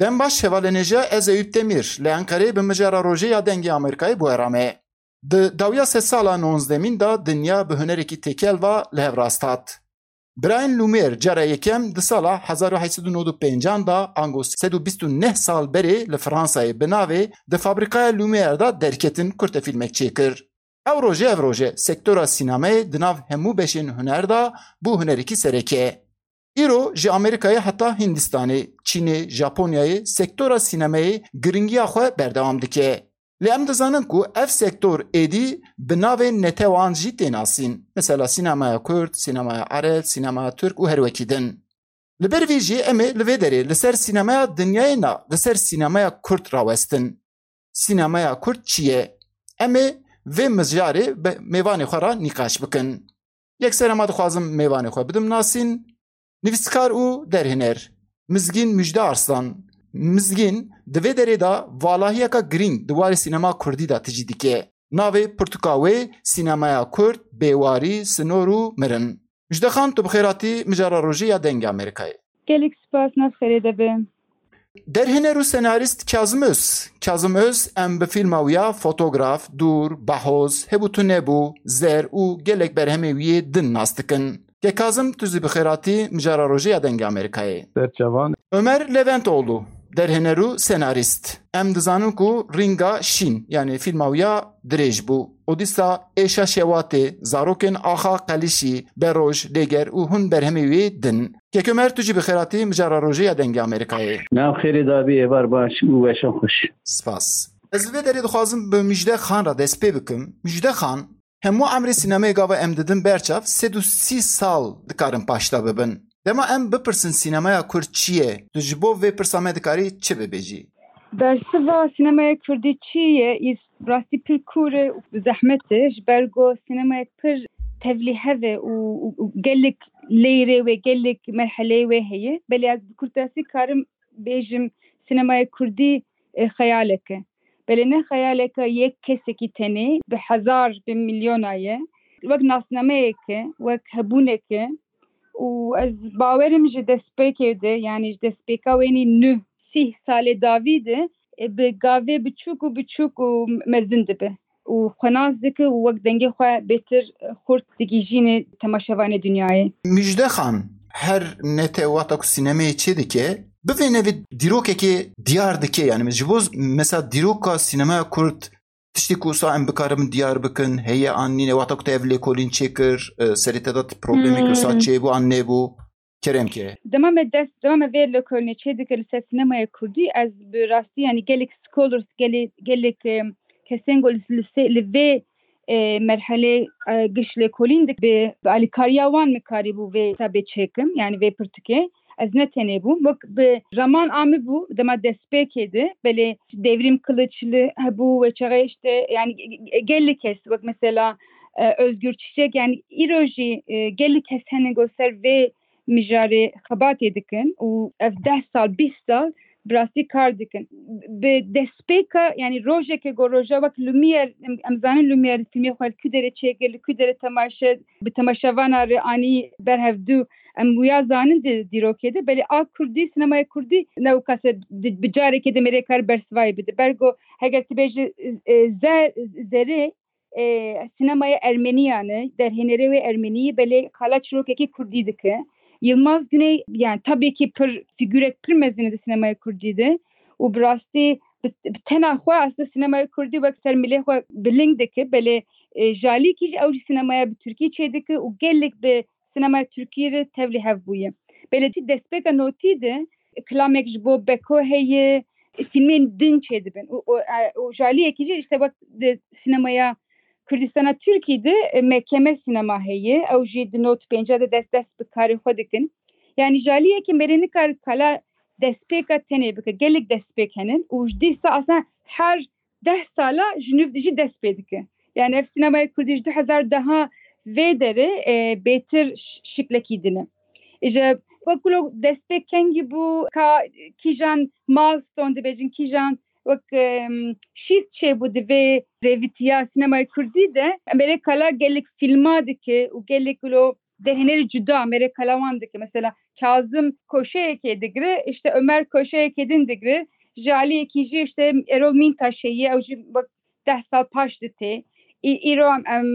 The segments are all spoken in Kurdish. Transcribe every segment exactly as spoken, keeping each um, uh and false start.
Dem baş hevalên hêja, ez Eyüp Demir, li Enqereyê bi mijara rojê ya Dengê Amerîkayê bi we re me. Di dawiya sedsala nonzdemîn de dinya bi hunerekî têkel ve li hev rast hat. Birayên Lumière cara yekem di sala hezar û heşt sed û nod û pêncan de, ango sed û bîst û neh sal berê, li Fransayê bi navê di fabrîkaya Lumière de derketin kurtefîlmek çêkir. Ew rojê ev roj e, sektora sînemayê di nav hemû beşên huner de bû hunerekî sereke. Îro ji Amerîkayê heta Hindistanê, Çînê, Japonyayê sektora sînemayê giringiya xwe berdewam dike. Lê em dizanin ku ev sektor êdî bi navên netewan jî tê nasîn. Mesela sînemaya Kurd, sînemaya Ereb, sînemaya Tirk û her wekî din. Li ber vê jî em ê li vê derê li ser sînemaya dinyayê na, li ser sînemaya Kurd rawestin. Sînemaya Kurd çi ye? Em ê vê mijarê bi mêvanê xwe re nîqaş bikin. Yekser ema dixwazim mêvanê xwe bidim nasîn. Nivîskar û derhêner Mizgîn Mujde Arslan. Mizgîn di vê derê de valahiyeka girîng di warê sînema kurdî de tijî dike. Navê pirtûka wê Sînemaya Kurd, Bêwarî, Sinor û Mirin. Mujde Xan, tu bi xêr hatî mijara rojê ya Dengê Amerîkayê. Gelek spas, nav xêrê de be. Derhêner û senarîst Kazim Öz. Kazim Öz, em bi fîlma wî ya Fotograf, Dûr, Bahoz, Hebû Tu Nebû, Zer û gelek berhemê wî yê din nas dikin. Ke Kazim, tu zî bi xêr hatî mijara rojê ya Dengê Amerîkayê. Ser çavan. Ömer Leventoğlu, derhêner û senarîst. Em dizanin ku Rînga Şîn, yanî fîlma wî ya dirêj bû. Odîsa Êşa Şewatê, Zarokên Axa Qelişî, Beroj, Lêger û hûn berhemê wê din. Kek Ömer, tu jî bi xêr hatî mijara rojê ya Dengê Amerîkayê. Nav xêrê dabî, êvar baş û weşan xweş. Spas. Ez li vê derê dixwazim bi Mujde Xan re dest pê bikim. Mujde Xan, hemû emrê sînemayê gava em didin berçav, sed û sî sal dikarin paşda bibin. Dema em bipirsin sînemaya Kurd çi ye, tu ji bo vê pirsa me dikarî çi bibêjî? Bersiva sînemaya Kurdî çi ye? Î rastî pir kûr e û zehmet e, ji ber ku sînemayek pir tevlîhev e û, û, û gelek lêrê wê, gelek merheleyê wê heye. Belê ez bi kurtasî karim bêjim, sînemaya Kurdî, e, xeyalek e. Belê ne xeyaleke yek kesekî tenê, bi hezar, bi milyona ye. Wek nasnameyek e, wek hebûnek e. Û ez bawerim ji destpêkê de, yanî ji destpêka wênî nû sîh salê dawî de, e, bi gavê biçûk û biçûk û mezin dibe. Û xwe nas dike û wek dengê xwe bêtir xurt digihîjîne temaşevanê dinyayê. Mujde Xan, her nete wata ku sînemeyê çê dike, bivêne vê dîrokekê diyar dike, yanî ji bo mesela dîroka sînemeya Kurd tiştê ku wisa em bikarin diyar bikin, heye an nîne, wata ku te ev lêkolîn çêkir, e, serê te de problemek wisa Hmm. çêbû an nebû? Kerem ke. Dema me dest, dema me vê lêkolînê çê dike li ser sînemaya Kurdî, ez bi rastî, yanî gelek scholars, gelê-, gelek, e, kesên ku li, li sê-, li vê, e, merhelê, e, giş lêkolîn dik bi, bi alîkariya wan min karîbû vê kitabê çêkim, yanî vê pirtûkê. Ez ne tenê bûm. Wek bi raman amî bû, dema destpêkê de, belê Devrîm Kiliçli hebû, wê çaxê işte, yanî ge-, ge-, gelek kes, wek mesela, e, Özgür Çiçek, yanî îro jî, e, gelek kes hene ku ser vê mijarê xebatê dikin û ev deh sal, bîst sal bi rastî kar dikin. Bi destpêka, yanî rojeke ku roja wek Lumière, em, em zanin Lumière fîlmê xwe li ku derê çêkir, li ku derê temaşe, bi temaşevana re anî ber hevdû, em wiya zanin di dîrokê de, belê a Kurdî, sînemaya Kurdî ne wisa di, bi carekê de mêrê kar bersivayê bide. Ber ku heger tu bêjî, e, ze-, zerê, e, sînemaya Ermeniyan e, derhênerê wê Ermenî, belê qala çîrokekî Kurdî dike. Yilmaz Güney, yani tabii ki pir fîgurek pir mezin e di sînemaya Kurdî de û bi rastî bi, bi tena xwe aslında sînemaya Kurdî wek ser milê xwe biling dike, belê, e, ji alîkî jî ew jî sînemaya bi Tirkî çê dike û gelek bi sînemaya Tirkî re tevlî hev bûye. Belê destpêka notî de kilamek ji bo Beko heye, fîlmên din çêdibin. Û, û, e, û ji aliyekî jî işte wek di sînemaya Kurdistana Tirkî de, e, mekeme sînema heye. Ew jî di not pênca de dest dest bi karê xwe dikin. Yani ji aliyekî mêrê nikare kala destpêka tenê bike. Gelek destpêk henin û ji dîsa aslında her deh sala ji nû jî dest pê dike. Yani ev sînemaya Kurdî ji du hezar deha vê derê, e, bêtir ş-, şiklekî din e. Îja wek wilo destpêk kengî bû, ka kîjan milestone dibêjin, kîjan wek, em, şîst çêbû di vê rêvîtiya sînemaya Kurdî de, em berê kala gelek fîlma dike û gelek wilo derhênerî cuda merê kalawan dike. Mesela Kazim koşeyekê digire, işte Ömer koşeyekê din digire. Ji aliyekî jî işte Erol Mintaşê ye, ew jî wek deh sal paş ditê. Î-, îro em, em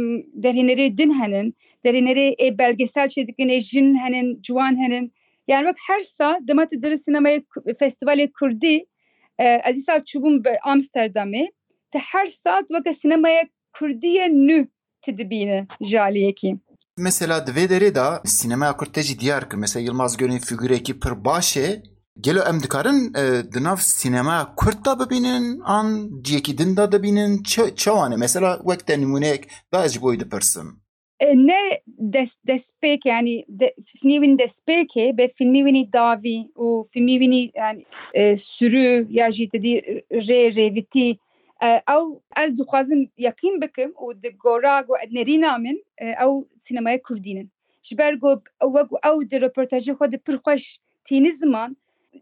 derhênerê din henin, derhênerê ê belgesel çê dikin, ê jin henin, ciwan henin. Yani wek her sal dema tu diri sinemaya ku-, festivalê Kurdî, e, ez îsal çûbûm bi Amsterdamê, tu her sal weke sinemaya Kurdî ye nû tu dibîne ji aliyekî. Mesela di vê derê de sînemeya kurd te jî diyar kir. Mesela Yilmaz Gönül fîgurekî pir baş e. Gelo em dikarin, e, di nav sînemeya kurd de bibînin, an ciyekî din de dibînin? Çe-, çawan e? Mesela wek te nimûneyek da ez ji bo wî dipirsim. E, ne dest, destpêk, yani de, fîlmî wî destpêkê, be fîlmî wî dawî û fîlmî wî yani, e, sürü ya jî te dî rê rêvitî, e, ew ez dixwazim yeqîn bikim û di gora ku nerîna min, e, ew sînemaya kurdî nin. Ji ber ku wek ew di röportajê xwe de pir xweş tîni ziman,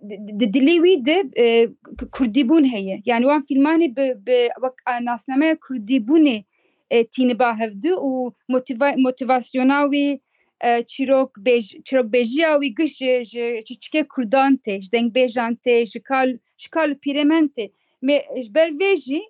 di, di dilê wî de, e, k-, kurdîbûn heye. Yani wan fîlmanê bi, bi wek, e, nasnameya kurdîbûnê, e, tîni ba hevdu û motiva-, motivasyona wî, e, çîrok bêj-, çîrokbêjiya wî giş ji, ji, ji çikê kurdan tê, ji dengbêjan tê, ji kal, ji kal û pîrêmen tê. Me, ji ber vê jî,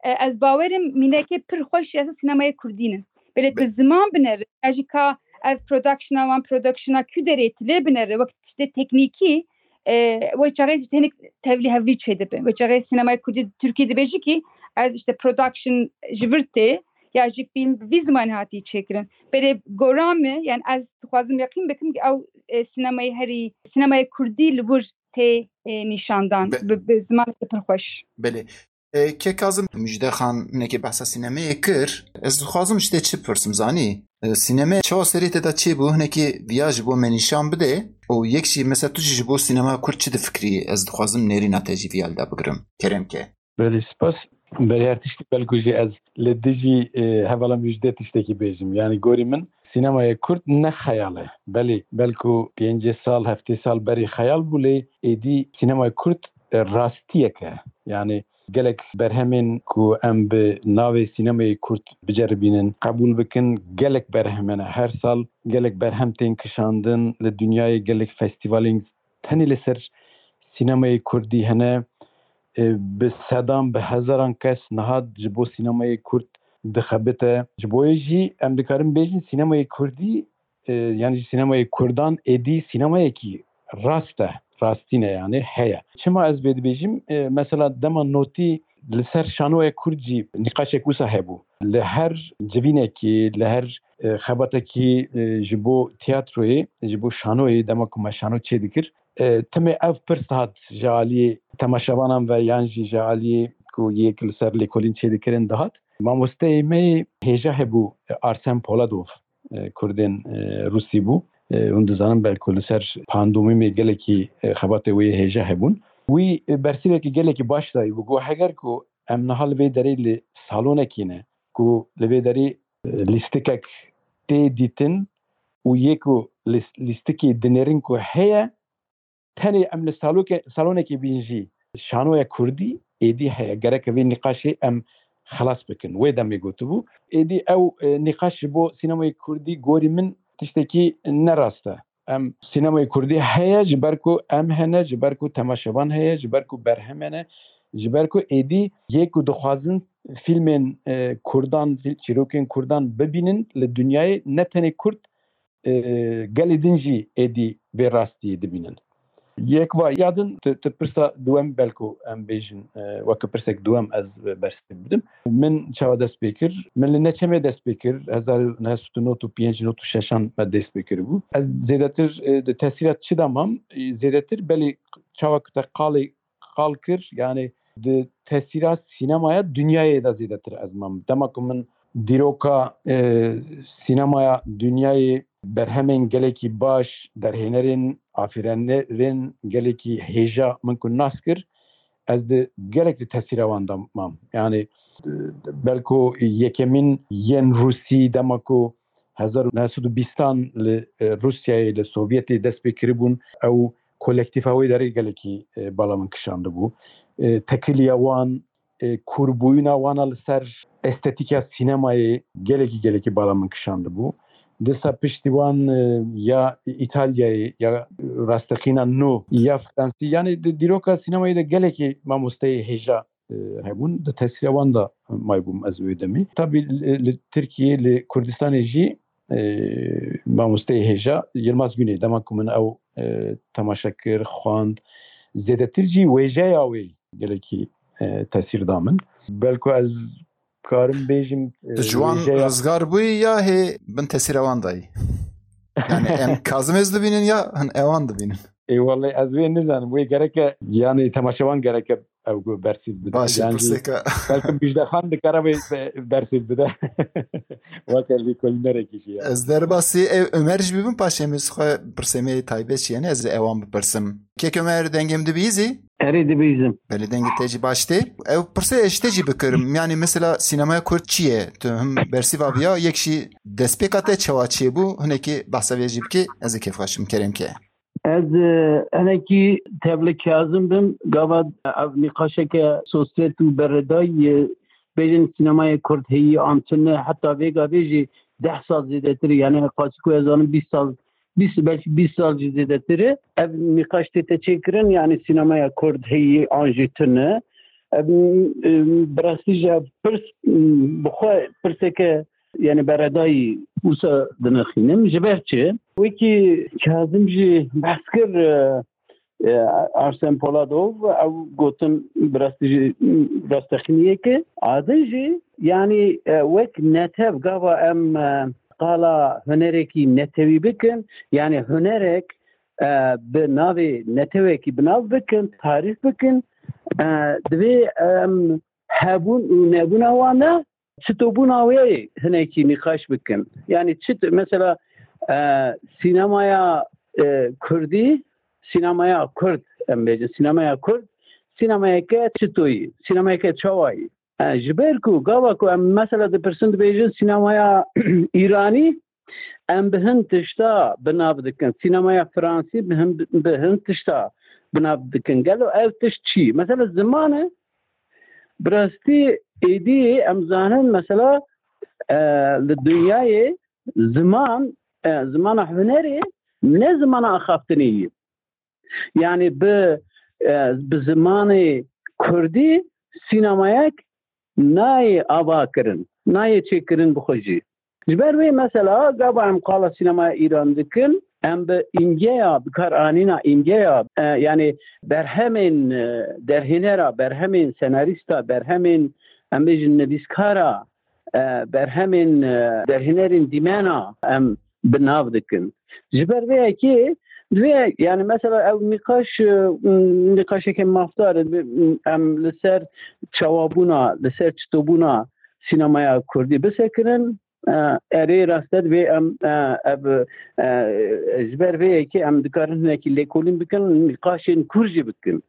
e, ez bawerim mînekê pir xweş ya sînemayê kurdî nin. Belê tu Be- ziman binere, ya jî ka ev productiona wan productiona ku derê tu lê binere, wek tiştê teknîkî, e, wê çaxê jî tenik tevlî hevlî çêdibe. Wê çaxê sînemayê kurdî Tirkî dibêjî ki ez işte production ji vir tê, ya jî fîlm bi vî zimanê hatî çêkirin. Belê gora me, yani ez dixwazim yeqîn bikim ki ew, e, sînemayê herî, sînemayê kurdî li wir tê, e, nîşandan Be- bi, bi zimanekî pir xweş. Belê. E, Kek Kazim, Müjde Xan hinekî behsa sînemeyê kir. Ez dixwazim ji te çi bipirsim, zanî? E, sîneme çawa serê te de çêbû, hinekî viya ji bo me nîşan bide. Û yek jî, mesela tu jî ji bo sînema kurd çi difikirî? Ez dixwazim nêrîna te jî viya li de bigirim. Kerem ke. Belê, spas. Berê her tiştî belku jî ez li dijî, e, hevala Müjde tiştekî bêjim. Yani gorî min sînemaya kurd ne xeyal e. Belê, belku pêncî sal, heftê sal berê xeyal bû, lê êdî sînemaya kurd, e, rastiyek e. Yani gelek berhemên ku em bi navê sînemayê kurd biceribînin, qebûl bikin, gelek berhem hene. Her sal gelek berhem tên kişandin, li dinyayê gelek festîvalên tenê li ser sînemayê kurdî hene. E, bi sedan, bi hezaran kes niha ji bo sînemayê kurd dixebite. Ji bo yê jî em dikarin bêjin sînemayê kurdî, e, yani jî sînemayê kurdan êdî sînemayekî rast e, rastî ne yani heye. Çima ez vê dibêjim? E, mesela dema notî li ser şanoya kurd jî nîqaşek wisa hebû. Li her civînekî, li her, e, xebatekî, e, ji bo tiyatroyê, ji bo şanoyê, dema ku me şano çêdikir, e, timê ev pirs dihat ji aliyê temaşevanan ve yan jî ji aliyê ku yek li ser lêkolîn çêdikirin dihat. Mamosteyê me yê hêja hebû, e, Arsen Poladov, e, Kurdên, e, Rûsî bû. E, hûn dizanin belku li ser pandemîmê gelekî, e, xebatê wê yê hêja hebûn. Wî, e, bersivekî gelekî baş dayî bû. Got, heger ku em niha li vê derê li salonekî ne, ku li vê derê, e, lîstikek tê dîtin û yê ku lîs-, lîstikê dinêrin ku heye, tenê em li saloke-, salonekê bîn jî şanoya kurdî êdî heye. Gerek vê nîqaşê em xelas bikin. Wê demê gotibû. Êdî ew, e, nîqaş ji bo sînemayê kurdî gorî min tiştekî ne rast e. Em sînemayê kurdî heye ji ber ku em hene, ji ber ku temaşevan heye, ji ber ku berhem hene, ji ber ku êdî yê ku dixwazin fîlmên, e, kurdan, fîl-, çîrokên kurdan bibînin li dinyayê ne tenê kurd, e, gelê din jî êdî vê rastiyê dibînin. Yek va ya din, tu, tu pirsa duwem belku em bêjin, e, weke pirsek duwem ez bersiv bidim. Min çawa dest pê kir? Min li neçemê dest pê kir. Hezar û neh sed û nod û pênc nod û şeşan me dest pê kiribû. Ez zêdetir, e, di tesîra çi de mam? E, zêdetir belê çawa ku te qalê qal kir, yani di tesîra sînemaya dinyayê de zêdetir ez mam. Dema ku min dîroka, e, sînemaya dinyayê, berhemên gelekî baş, derhênerên, afîrenerên gelekî hêja min ku nas kir, ez di gelek di tesîra wan de mam. Yani, e, belku yekemîn yên Rûsî dema ku hezar û neh sed û bîstan li, e, Rûsyayê, li Sovyetê dest pê kiribûn, ew kolektîfa wê derê gelekî, e, bala min kişandibû. E, tekiliya wan, e, kûrbûyîna wana li ser estetîka sînemayê gelekî, gelekî bala min kişandibû. Disa piştî wan e, ya Îtalyayê ya rasteqîna nû ya Fransî. Yanî di dîroka sînemayê de gelekî mamosteyê hêja e, hebûn. Di tesîra wan de maybûm ez wê demê. Tabî li, li Tirkiyê, li Kurdistanê jî e, mamosteyê hêja Yilmaz Güney, dema ku min ew e, temaşe kir, xwend, zêdetir jî wêjeya wê gelekî e, tesîr da min. Belku ez karim bêjim e, Tu ji wan wêjeya rizgar bûyî ya hê bin tesîra wan dayî? Yani em Kazim Ez dibînin ya hin ewan dibînin? Ê welleh ez wê nizanim. Wê gereke, yani temaşevan gereke ew gu bersîv bide. Baş e, Yanî pirsêka. Belki Bijde Xan dikare wê be- bersîv bide. Weke lêkolînerekî jî ya. Ez derbasî ew Ömer jî bibim, paşê min xwe pirsê me yê taybet jî, yani ez ê ewan bipirsim. Kek Ömer, dengê min dibîzî? Erê, dibîzim. Belê, dengê te jî baş tê. Ew pirsê ez ji te jî bikirim. Yani mesela sînemaya Kurd çi ye? Tu him bersîva viya, yek jî destpêka te çawa çêbû? Hinekî behsa vê jî bikê, ez ê kêfxweş bim. Kerem ke. Ez e, hinekî tevli Kazim bim. Gava ev nîqaşeke sosret û beredayî, e, bêjin sînemayê Kurd heyî an tune, heta vêga vê jî deh sal zêdetir e. Yani qasî ku ez zanim bîst sal, bîst, belkî bîst sal jî zêdetir e. Ev nîqaş tête çêkirin, yani sînemaya Kurd heyî an jî tune. Ev, e, bi rastî jî ev pirs, e, bi xwe pirseke, yani beredayî wisa dinexînim. Ji ber çi? Wekî Kazim jî behs kir, e, e, Arsen Poladov, ew gotin bi rastî jî rastexîniyeke. A din jî, yani, e, wek netew gava em, e, qala hunerekî netewî bikin, yani hunerek, e, bi navê netewekî bi nav bikin, tarîf bikin, e, divê em hebûn û nebûna wan de çitobûna wê hinekî nîqaş bikin. Yani çit, mesela, e, sînemaya, e, Kurdî, sînemaya Kurd, em bêjin, sînemaya Kurd, sînemayeke çitoyî, sînemayeke çawayî. E, ji ber ku gava ku em mesela dipirsin dibêjin sînemaya Îranî, em bi hin tişta bi nav dikin. Sînemaya Fransî bi hin, bi hin tişta bi nav dikin. Gelo ev tişt çi? Mesela ziman e, bi rastî êdî em zanin mesela, e, li dinyayê ziman, e, zimana hunerê ne zimana axaftinê ye. Yani bi, e, bi zimanê Kurdî sînemayek nayê ava kirin, nayê çêkirin bi xwe jî. Ji ber wê mesela gava em qala sînemaya Îran dikin, em bi îmgeya, bi kar anîna îmgeya, e, yani berhemên, e, derhênera, berhemên senarîsta, berhemên, em bêjin nivîskara, e, berhemên, e, derhênerên dîmena em bi nav dikin. Ji ber vê yekê divê, yani mesela ew nîqaş, e, nîqaşeke mafdar e, em li ser çawabûna, li ser çitobûna sînemaya Kurdî bisekirin. E, erê, rast e, divê em, e, ev, e, ji ber vê yekê em dikarin hinekî lêkolîn bikin, nîqaşên kûr jî bikin.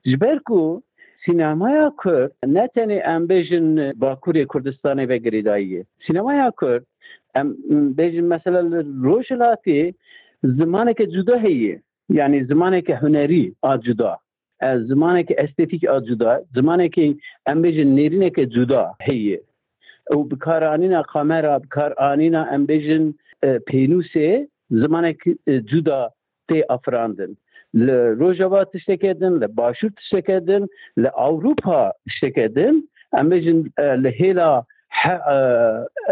Ji ber ku sînemaya Kurd ne tenê em bêjin Bakurê Kurdistanê ve girêdayî ye. Sînemaya Kurd, em bêjin mesela li Rojhilatê zimaneke cuda heye. Yani zimaneke hunerî a cuda. E, zimaneke estetîk a cuda. Zimaneke em bêjin nêrîneke cuda heye. Û bikaranîna kamera, bikaranîna em bêjin, e, pênûsê zimanek, e, cuda tê afirandin. Li Rojava tişteke din, li Başûr tişteke din, li Ewropa tişteke din, em bêjin, e, li hêla he-, e,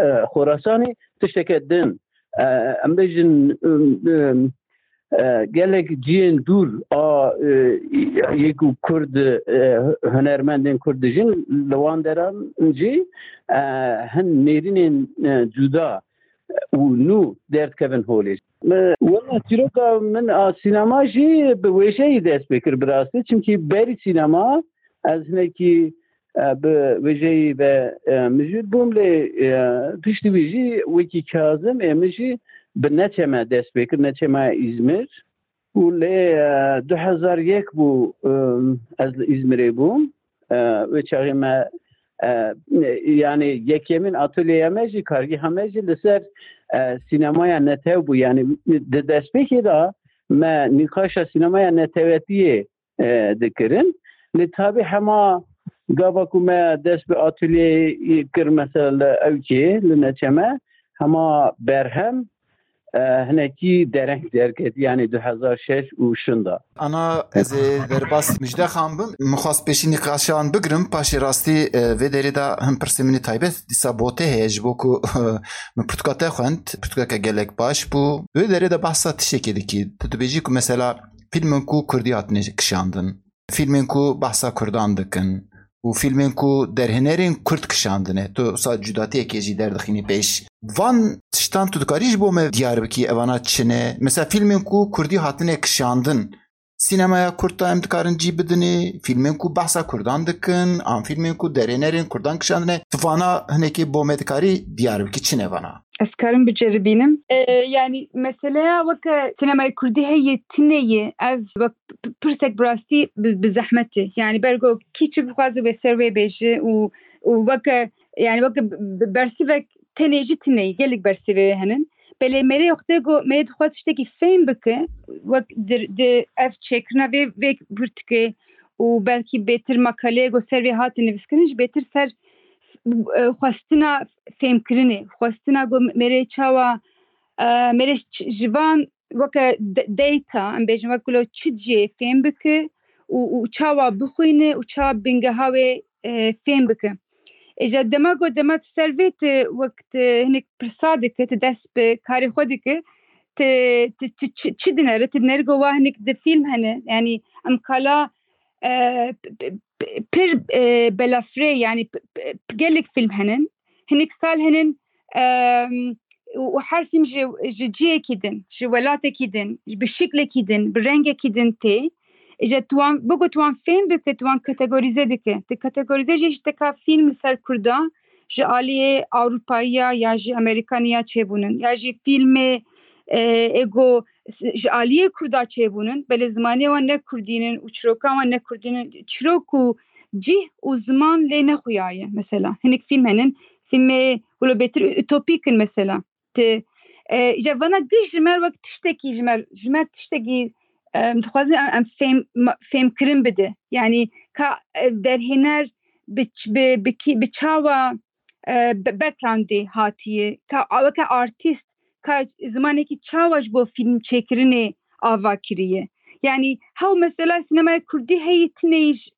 e, Xorasanê tişteke din. E, em bêjin, e, e, e, gelek cihên dûr a, e, yê ku Kurd, e, hunermendên Kurd dijin, li wan deran jî, e, hin nêrînên, e, cuda û nû derdikevin holê. Wela çîroka min a sînema jî bi wêjeyî dest pê kir bi rastî. Çimkî berî sînema ez hinekî, e, bi wêjeyî ve, e, mijûl bûm, lê, e, piştî wî jî wekî Kazim ê min jî bi Neçeme dest pê kir, Neçema Îzmir. Û lê, e, du hezar yek bû, e, ez li Îzmirê bûm. E, wê çaxê me, e, yani yekemîn atolyeya me jî, kargeha me jî li ser, e, sînemaya netew bû. Yani di destpêkê de me nîqaşa sînemaya netewetiyê, e, dikirin. Lê tabî hema gava ku me dest bi atolyeyê kir, mesela li Ewkê, li Neçeme, Hema berhem e, hinekî dereng derketî, yanî du hezar şeş û şinda. Ana ez ê derbas Mijde Xan bim. Min xwest pêşî nîqaşan bigrim, paşê rastî e, vê derê de hin pirsê min ê taybet dîsa botê heye, ji bo ku min pirtûka te xwend, pirtûkeke gelek baş bû. Wê derê de behsa tiştekê dikî. Tu dibêjî ku mesela fîlmên ku kurdî hatine kişandin, fîlmên ku behsa kurdan dikin û fîlmên ku derhênerên kurd kişandine, tu wisa cudatiyekê jî derdixînî pêş. Van tiştan tu dikarî ji bo me diyar bikî, evana çi ne? Mesela fîlmên ku kurdî hatine kişandin, sînemaya kurd de em dikarin cî bidinê, fîlmên ku behsa kurdan dikin, an fîlmên ku derhênerên kurdan kişandine, tu vana hinekê bo me dikarî diyar bikî, çi ne vana? Ez karim biceribînim. E, yanî meseleya weke sînemaya kurdî heye tune ye, ev wek p- pirsek bi rastî bi, bi zehmet e. Yanî ber ku kî çi bixwaze wê ser wê bêje û û weke, yanî weke b- b- bersivek tenê jî tune ye. Gelek bersivê henin. Belê mêrê wextê ku mêrê dixwaz tiştekî fêm bike, wek di, di ev çêkirina vê vê pirtûkê û belkî bêtir makaleyê ku ser vê hate nivîskirin jî bêtir ser e, xwestina fêmkirinê, xwestina ku mêrê çawa e, mêrê ç- ji van weke de- data, em bêjin wek lo çi cihê fêm bike û, û çawa bixwîne û çawa bingeha wê e, fêm bike. Îja dema ku dema tu ser vê tu wek tu hinek pirsa dike, tu dest bi karê xwe dike, tu, tu, tu çi, çi dinere? Tu dinere ku wa hinek di fîlm hene. Yanî em kala e, p- p- p- pir e, belafirê, yanî p- p- p- gelek fîlm henin. Hinek sal henin e, û û her fîlm ji, ji cihekî din, ji welatekî din, bi şiklekî din, bi rengekî din tê. Îja tu wan, bigo tu wan fêm bike, tu wan kategorîze dike. Tu kategorîze jî ji teka fîlm li ser Kurda, ji aliyê Ewropayiya ya ji Amerîkaniya çêbûnin, ya jî fîlmê e, ego ji aliyê Kurda çêbûnin, belê zimanê wan ne Kurdînin û çirokan wan ne Kurdînin. Çirok û cih û ziman lê nexuyaye mesela. Hinek fîlm henin, fîlmê wilo bêtir utopîk in mesela. Ti, e, îja vana giş ji me wek tiştekî ji me, ji me tiştekî e, dixwazin em, em fêm, ma- fêmkirin bide. Yanî ka e, derhêner bi, ç- bi, bi, kî- bi çawa e, be- backgroundê hatiye, ka weke artîst, ka zimanekî çawa ji bo fîlm çêkirinê ava kiriye. Yanî hew mesela sînemaya kurdî heyî tineyî ji-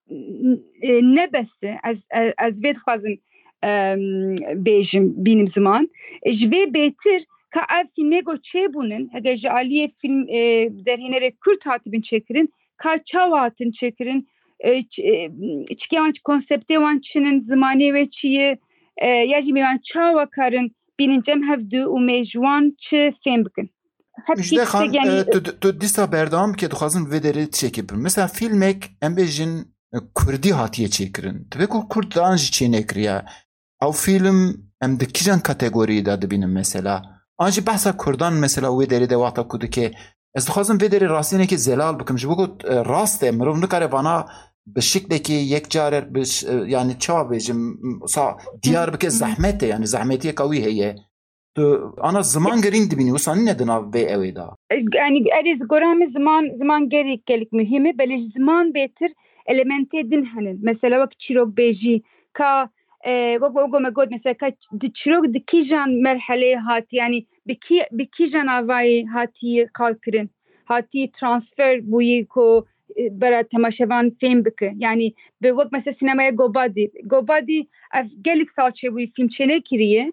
e, ne bes e. Ez, ez, ez vê dixwazim em, bêjim, bînim ziman. E, ji vê bêtir ka ev fîlmê go çêbûnin, hege ji aliyê fîlm e, derhênerê kurd hatibin çêkirin, ka çawa hatin çêkirin, e, ç- e, çikê wan, konseptê wan çi ne, zimanê wê çi ye, e, ya jî mêvan çawa karin bînin cem hev du û mêj wan çi fêm bikin. Hep Mijde Xan, tiştek, yanî, e, tu, tu dîsa berdewam bike, dixwazim vê derê tiştekê bibim. Mesela fîlmek, em bêjin, e, kurdî hatiye çêkirin. Divê ku kurdan jî çênekiriye. Ew fîlm em di kîjan kategoriyê de dibînin mesela? An jî behsa kurdan mesela wê derê de wexta ku dike, ez dixwazim vê derê rastînekê zelal bikim. Ji bo ku, e, rast e, mirov nikare vana bi şiklekê yekcar, bi ş- e, yani çawa bêjim, sa diyar bike, zehmet e, yani zehmetiyeka wî heye. Tu ana ziman girîng dibînî, wisa nîne di nav vê ewê de? Yanî erê, ji gora min ziman, ziman gelek, gelek muhîm e, belê ji ziman bêtir elementê din henin. Mesela wek çîrokbêjî, ka e, wek wek me got, mesela ka di çîrok di kîjan merheleyê hatî, yanî bi kî, bi kîjan avayê hatî qal kirin, hatî transfer bûyî ku e, bera temaşevan fêm bike. Yanî bi wek mesela sînemaya Gobadî. Gobadî ev gelek sal çêbûyî fîlm çênekiriye.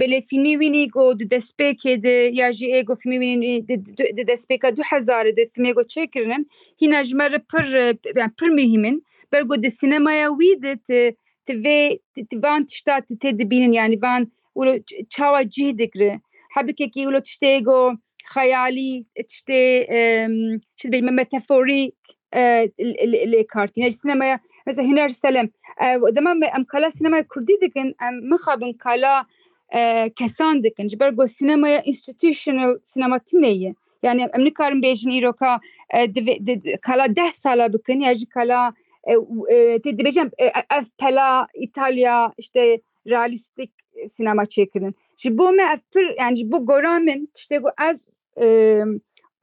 Belê fîlmê wînî go di destpêkê de ya jî ê go fîlmê wînî di, di, di destpêka du hezarê de fîlmê go çêkirinin, hîna ji me re pir, e, yani pir muhîm in. Ber go di sînemaya wî de ti, ti vê, ti, ti van tişta ti tê dibînin, yani van wilo ç- çawa cih digre. Hebikekî wilo tiştê go xeyalî, tiştê, em, çi dibêjim, metaforîk, e, lê, lê, lê kartîne. Ji sînemaya, mesela Huner Selem, e, dema me, em kala sînemaya kurdî dikin, em mixabin kala, e, kesan dikin. Ji ber ku sînemaya institutional sînema tune ye. Yani em nikarin bêjin îroka, e, divê, di, di, kala deh sala bikin, ya jî kala, e, e, tê dibêjin, e, ev pela Îtalya, işte, realîstîk sînema çêkirin. Ji bo me ev pir, yani ji bo gora min, tiştê ku ez e,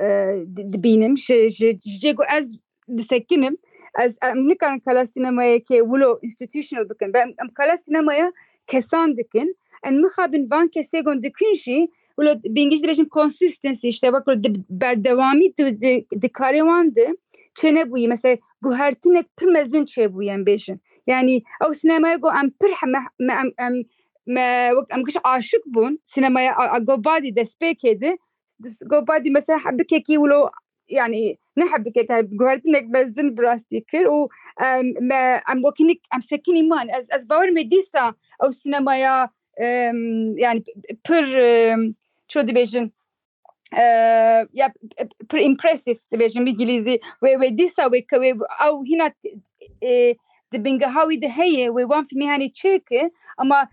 e, di- dibînim, ji, ji, ji cê ku ez disekinim, ez, em nikarin kala sînemayeke wilo institutional bikin. Em, em kala sînemaya kesan dikin. em mixabin van kesê gon dikin jî, wilo bi îngilîzî dibêjin consistency, işte wek di berdewamî di, di, di karê wan de çênebûyî. Mesela guhertinek pir mezin çêbûye em bêjin. Yani ew sînemaya go em pir he-, me, me, em, em, me, wek em giş aşik bûn sînemaya a, a, go badî destpêkê de, go badî mesela hebikekî wilo, yani ne hebikek, yani guhertinek mezin bi rastî kir û em, me, em wekî nik, em sekinî man. Ez, ez bawer me dîsa ew sînemaya, em, yani pir, em, ço dibêjin, e, ya pir impressive dibêjin bi îngilîzî. Wê, wê dîsa wê ke wê ew hîna, e, di bingeha wî de heye, wê wan fîlmê henê çêke, ama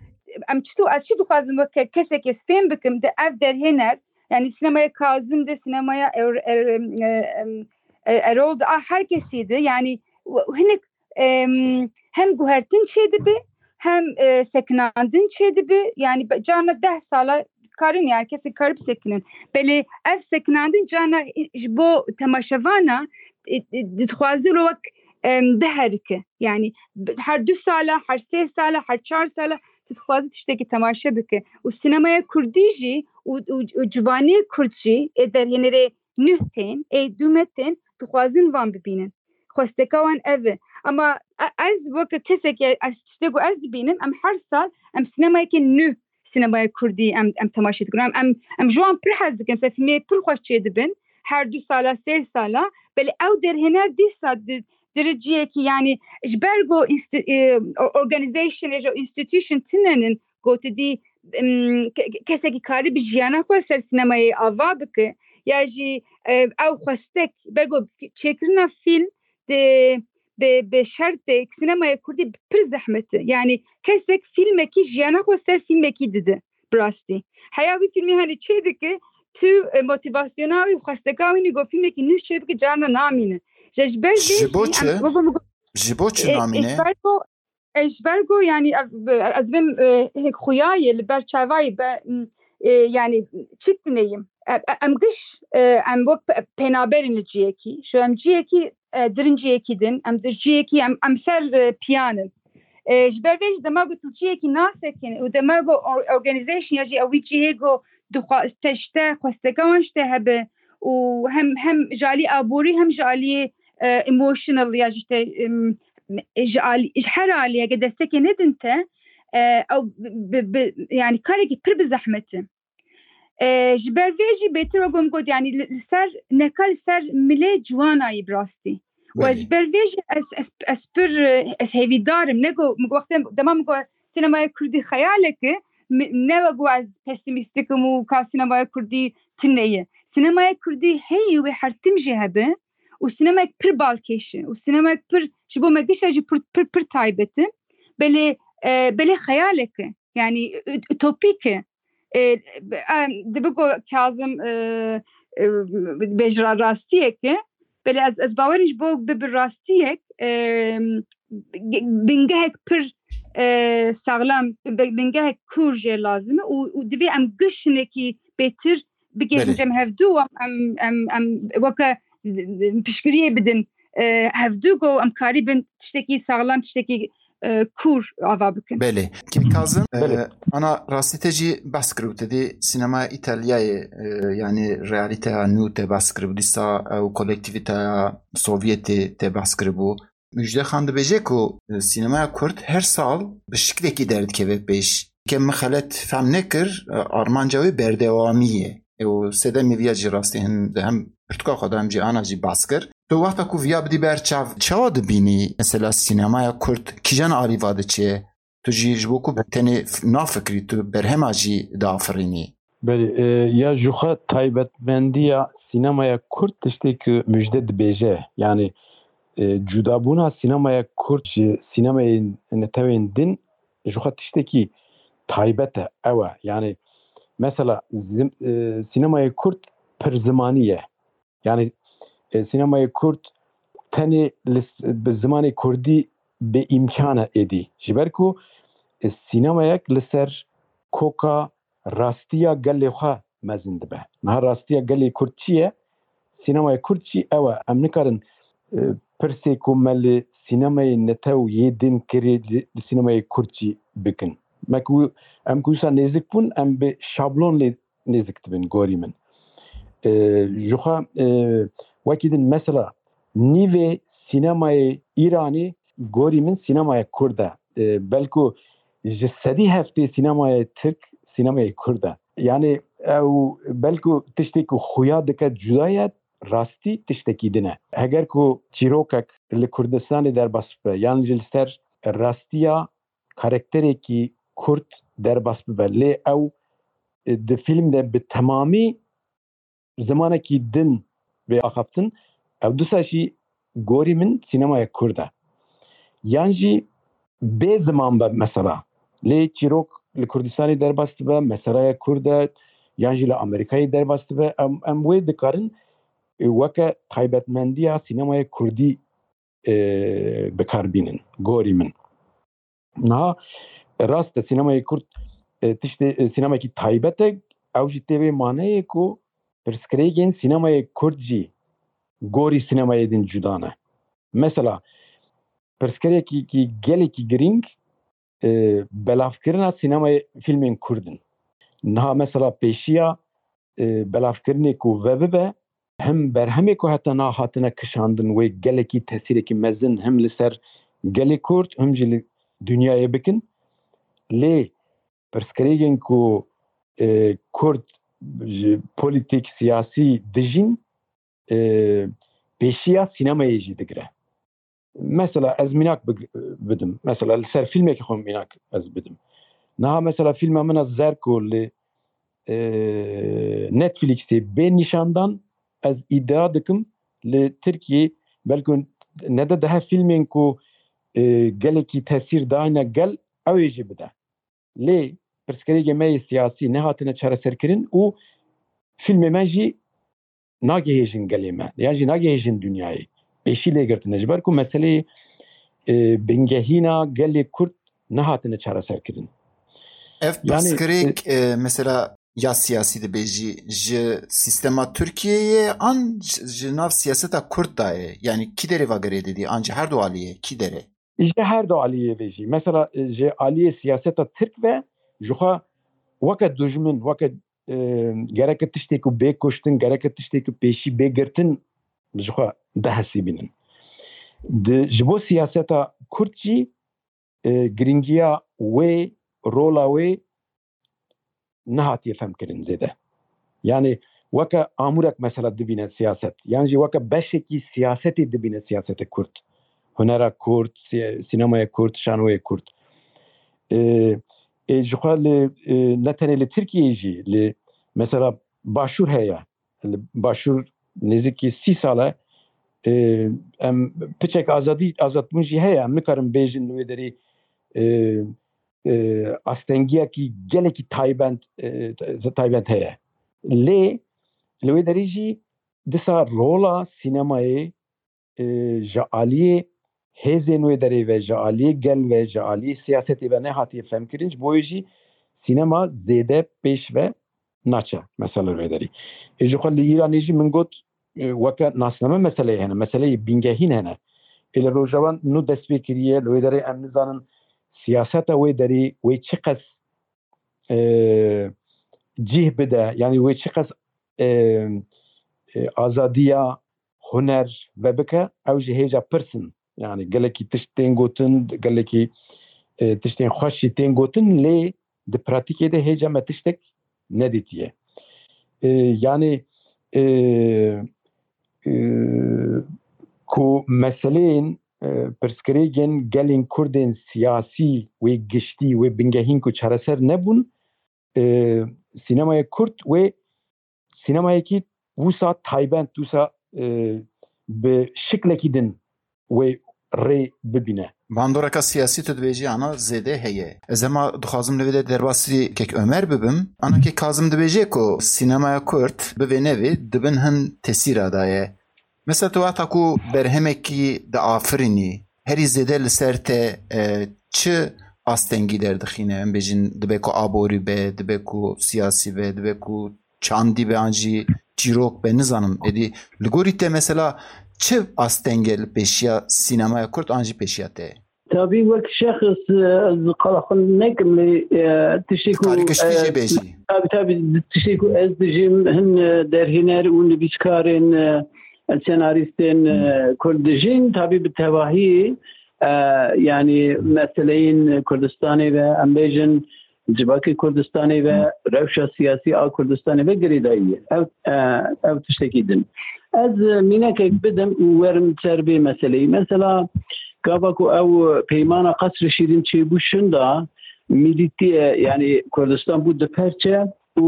em çi, ez çi dixwazim weke kesekê fêm bikim, di ev derhêner, yani sînemaya Kazim de, sînemaya Er-, Er-, em, e, em, e, Erol de, a her kesî de, yani w-, hinek, em, hem guhertin çêdibe, hem, e, sekinandin çêdibe, yani be-, carna deh sala karin, yani kesê kar bisekinin. Belê ev sekinandin carna ji bo temaşevana, e, e, dixwaze lo wek, em, biherike. Yani bi-, her du sala, her sê sala, her çar sala dixwaze tiştekî temaşe bike. Û sînemaya kurdî jî û, û, û ciwanê kurd jî ê derhênerê nuh tên, ê dû me tên, dixwazin van bibînin. Xwesteka wan ev e. Ama e-, ez weke kesekî, ez tiştê ku ez dibînim, em her sal em sînemayeke nû, sînemaya kurdî em, em temaşe dikin. Em, em, em ji wan pir hez dikin. Mesela fîlmê pir xweş çêdibin. Her du sala, sê sala. Belê ew derhêner dîsa di, di cihekî, yani ji ber ku insti-, e, o-, organization, ya jî institution tune nin, ku tu dî, em, ke-, ke-, kesekî karî bi jiyana xwe ser sînemayê ava bike, ya jî, e, ew xwestek, ber ku çêkirina fîlm di, bi, bi şertê sînemaya kurdî pir zehmet e. Yani kesek fîlmekî jiyana xwe ser fîlmekî dide, bi rastî. Heya wî fîlmê henî çê dike, tu, e, motivasyona wî û xwesteka wî nî ku fîlmekî nû çê bike, carna namîne. Ji, ji ber vê Ji bo jî çi? em, wek min got, Ji bo çi e, namîne? Ji ber ku, e, ji ber ku, yani, ev, e, ez vêm, e, hêk xuya ye, li ber çavayî be, m, e, yani, çi tineyim? E, e, em giş, e, em wek pe-, penaberên li ciyekî. Şu em ciyekî, e, dirin ciyekî din, em di ciyekî, em, em ser, e, piyan in. E, ji ber vê jî dema ku tu ciyekî nasekin û dema ku or-, organization ya jî ew wî cihê ku dixwa-, te ji te xwesteka wan ji te hebe û hem, hem ji alî aborî hem ji alî, e, emotional ya jî te, em, ji alî, ji her alî heke destekê nedin te, e, ew bi, bi, yani karekî pir bi zehmet e. E, ji ber vê jî bêtir wek min got, yani li, li ser, neka li ser milê ciwanayî bi rastî. Û ez Belê. ji ber vê jî ez, ez, ez pir, e, ez hêvîdar im. Ne ku, min got, wextê dema min got sînemaya kurdî xeyalek e, mi-, ne wek ku ez pesîmîstik im û ka sînemaya kurdî tune ye. Sînemaya kurdî heye wê her tim jî hebe û sînemayek pir balkêş e û sînemayek pir ji bo me gişa jî pir, pir, pir taybet e. Belê, e, belê xeyalek e. Yani ut-, utopîk e. E, em, dibe ku Kazim, e, e, bêje ra-, rastiyek e. Belê ez, ez bawerim ji bo bibe rastiyek, e, ge-, bingehek pir, e, saxlam, bi-, bingehek kûr jê lazim e û, û divê em giş hinekî bêtir bigihîjin Belê. cem hevdû, em, em, em, em weke piştgiriyê bidin, e, hevdû ku em karîbin tiştekî saxlam, tiştekî, e, kûr ava bikin. Belê. Kê Kazim, e, Belê. ana rastî te jî behs kiribû, te dî sînemaya Îtalyayê, e, yani realîteya nû te behs kiribû, dîsa ew kolektîvîteya Sovyetê te behs kiribû. Müjde Xan dibêje ku, e, sînemaya kurd her sal bi şiklekî derdikeve pêş. Ke min xelet fehm nekir, e, armanca wê berdewamî ye. E, û sedemê viya jî rastî hin, hem pirtûka xwe de hem jî ana jî behs kir. Tu wexta ku viya bidî ber çav, çawa dibînî? Mesela sînemaya kurd kîjan alî va diçe? Tu jî ji bo ku tenê f-, nafikrî, tu berhema jî diafirînî. Belê, e, ya ji xwe taybetmendiya sînemaya kurd tiştê ku Müjde dibêje. Yani, e, cudabûna sînemaya kurd ji sînemayên netewên din ji xwe tiştekî taybet e. Ew e. Yani, mesela zim-, e, sînemaya kurd pir zimanî ye. Yani, e, sînemayê kurd tenê li s-, bi zimanê kurdî bêîmkan e êdî. Ji ber ku, e, sînemayek li ser koka rastiya gelê xwe mezin dibe. Niha rastiya gelê kurd çi ye? Sînemayê kurd jî ew e. Em nikarin, e, pirsê ku me li sînemayê netew yê din kirê li, li sînemayê kurd jî bikin. Me ku em ku wisa nêzik bûn, em bi şablon lê nêzik dibin gorî min. E, ji xwe, e, wekî din mesela nîvê sînemayê Îranê gorî min sînemaya Kurd e. E, belku ji sedî heftê sînemayê Tirk sînemayê Kurd e. Yani ew belku tiştê ku xuya dike cuda ye, rastî tiştekî din e. Heger ku çîrokek li Kurdistanê derbas bibe, yan jî li ser rastiya karakterekî Kurd derbas bibe, lê ew, e, di fîlm de bi temamî zimanekî din bê axaftin, ew disa jî gorî min sînemaya Kurd e. Yan jî bê ziman be mesela. Lê çîrok li Kurdistanê derbas dibe, meselaya Kurd e, yan jî li Amerîkayê derbas dibe, em, em wê dikarin, e, weke taybetmendiya sînemaya Kurdî, e, bi kar bînin, gorî min. Niha rast e, sînemayê Kurd, e, tiştê, e, sînemekî taybet e, ew jî tê vê maneyê ku pirsgirêkên sînemayê Kurd jî gorî sînemayê din cuda ne. Mesela, pirsgirêkî gelekî girîng, e, belavkirina sînemayê fîlmên Kurd in. Niha mesela pêşiya, e, belavkirinê ku vebibe, hem berhemê ku heta niha hatine kişandin wê gelekî tesîrekî mezin hem li ser gelê Kurd, hem jî li dinyayê bikin. Lê pirsgirêkên ku, e, Kurd ji polîtîk, siyasî dijîn, e, pêşiya sînemayê jî digire. Mesela ez mînak big-, bidim. Mesela li ser fîlmekî xwe mînak ez bidim. Niha mesela fîlma min a Zerko li, e, Netflixê bê nîşandan, ez îdia dikim li Tirkiyê belku nede dehe fîlmên ku, e, gelekî tesîr dayne gel, ew ê jî bide. Lê pirsgirêkê me yê siyasî nehatine çareserkirin û fîlmê me jî nagihêjin gelê me, yan jî nagihêjin dinyayê. Pêşî lê girtine. Ji ber ku meseleyê, e, bingehîna gelê Kurd nehatine çareserkirin. Ev Yani, pirsgirêk, e, e, mesela ya siyasî dibêjî, ji sîstema Tirkiyeyê an ji, ji nav siyaseta Kurd de ye? Yani kî derê va girê didî? An ji her du aliyê, kî derê? Ji her du aliyê ve jî. Mesela, e, ji aliyê siyaseta Tirk ve ji xwe weke dijmin, weke, e, gereke tiştê ku bê kuştin, gereke tiştê ku pêşî bê girtin ji xwe dihesibînin. Di, ji bo siyaseta Kurd jî, e, girîngiya wê, rola wê nehatiye femkirin zêde. Yani weke amûrek mesela dibîne siyaset, yan jî weke beşekî siyasetê dibîne siyaseta Kurd. Hunera Kurd, si-, sînemaya Kurd, şanoyê Kurd. E, e, ji xwe li, e, ne tenê li Tirkiyeyê jî, li mesela Başûr heye. Li Başûr nêzîkî sî sal e, e, em piçek azadî, azadbûn jî heye. Em nikarin bêjin li wê derê, e, e, astengiyekî gelekî taybent, e, taybent heye. Lê li wê derê jî disa rola sînemayê, e, ji aliyê hêzên wê derê ve, ji aliyê gel ve, ji aliyê siyasetê ve nehatiye femkirin. Ji bo wê jî sînema zêde pêş ve naçe, mesela wê derê. Ê ji xwe li Îranê jî min got, e, weke nasname meseleyê hene, meseleyê bingehîn hene. Ê li Rojava nû dest pê kiriye, li wê derê em nizanin siyaseta wê derê wê çiqas, e, cih bide, yani wê çiqas, e, e, azadiya huner vebike, ew jî hêja pirs in. Yani gelekî tişt tên gotin, gelekî, e, tiştên xweş jî tên gotin, lê di pratîkê de hêja me tiştek nedîtiye. E, yani, e, e, ku meseleyên, e, pirsgirêkên gelên Kurdên siyasî wê giştî, wê bingehîn ku çareser nebûn, e, sînemaya Kurd wê sînemayekî wisa taybent, wisa, e, bi şiklekî din wê rê bibîne. Bandoreka siyasî tu dibêjî ana zêde heye. Ez hema dixwazim li vê de derbasî Kek Ömer bibim. Ana Kek Kazim dibêje ku sînemaya Kurd bi vê nevê di bin hin tesîra de ye. Mesela tu wexta ku berhemekî diafirînî, herî zêde li ser te, e, çi astengî derdixîne? Em bêjin dibe ku aborî be, dibe ku siyasî be, dibe ku çandî be an jî çîrok be, nizanim. Êdî li gorî te mesela çi asteng e li pêşiya sînemaya Kurd an jî pêşiya te? Tabî wek şexs, e, ez qala xwe nekim lê, e, tiştê ku, Karî kiştî e, jê bêjî. Tabî, tabî, tiştê ku ez dijîm, hin, e, derhêner û nivîskarên, e, senarîstên, e, Kurd dijîn, tabî bi tevahî, e, yanî meseleyên Kurdistanê ve, em bêjin, civakê Kurdistanê ve, rewşa siyasî a Kurdistanê ve girêdayî ye. Ew, e, ew tiştekî din. Ez, e, mînekek bidim û werim ser vê meseleyî. Mesela, gava ku ew peymana Qesrê Şîrîn çêbû şinda, mîlîtî, e, yanî Kurdistan bû du perçe û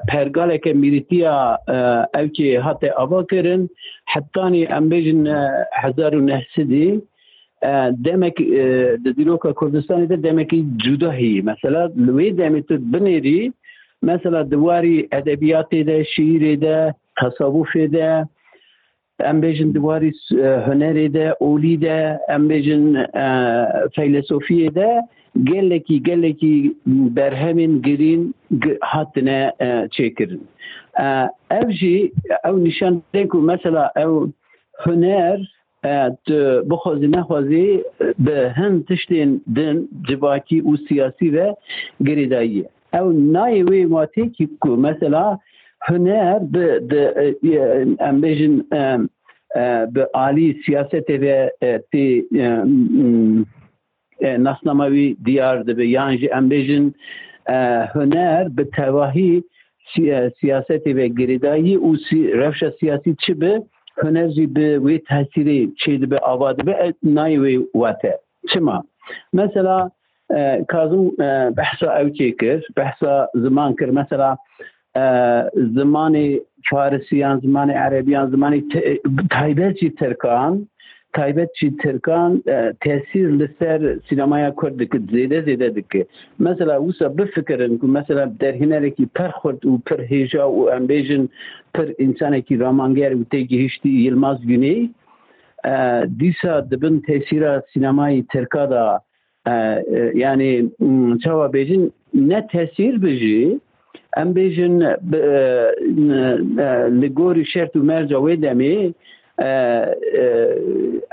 pergaleke mîlîtiya, e, ewkê hate ava kirin, hetanî em bêjin, e, hezar û neh sedî, e, demek, e, di dîroka Kurdistanê de demekî cuda heye. Mesela li wê demê tu binêrî, mesela di warî edebiyatê de, şiîrê de, tesawufê de, em bêjin di warî, e, hunerê de, olî de, em bêjin, e, feylesofiyê de gelekî, gelekî berhemên girîn gi-, hatine, e, çêkirin. E, ev jî ew nîşan dide ku mesela ew huner, e, tu bixwazî nexwazî, bi hin tiştên din civakî û siyasî ve girêdayî ye. Ew nayê wê watê kî ku mesela huner bi, bi, e, em bêjin, e, e, bi alî siyasetê ve, e, tê, e, m, e, nasnama wî diyar dibe, yan jî em bêjin, e, huner bi tevahî si-, e, siyasetê ve girêdayî û si-, rewşa siyasî çi bi, huner jî bi wê tesîrê çêdibe, ava dibe, e, nayê wê wate. Çima? Mesela, e, Kazim, e, behsa ew çêkir, behsa ziman kir. Mesela, e, zimanê farisiyan, zimanê erebiyan, zimanê te-, taybet jî tirkan, taybet jî tirkan, e, tesîr li ser sînemaya Kurd dike, zêde zêde dike. Mesela wisa bifikirin ku mesela derhênerekî pir xurt û pir hêja û em bêjin pir însanekî ramanger û têgihiştî Yilmaz Güney, e, dîsa di bin tesîra sînemayê tirka de, e, e, yanî, m, çawa bêjin, ne tesîr bi jî, em bêjin, bi, e, n-, e, li gorî şert û merca wê demê, e, e,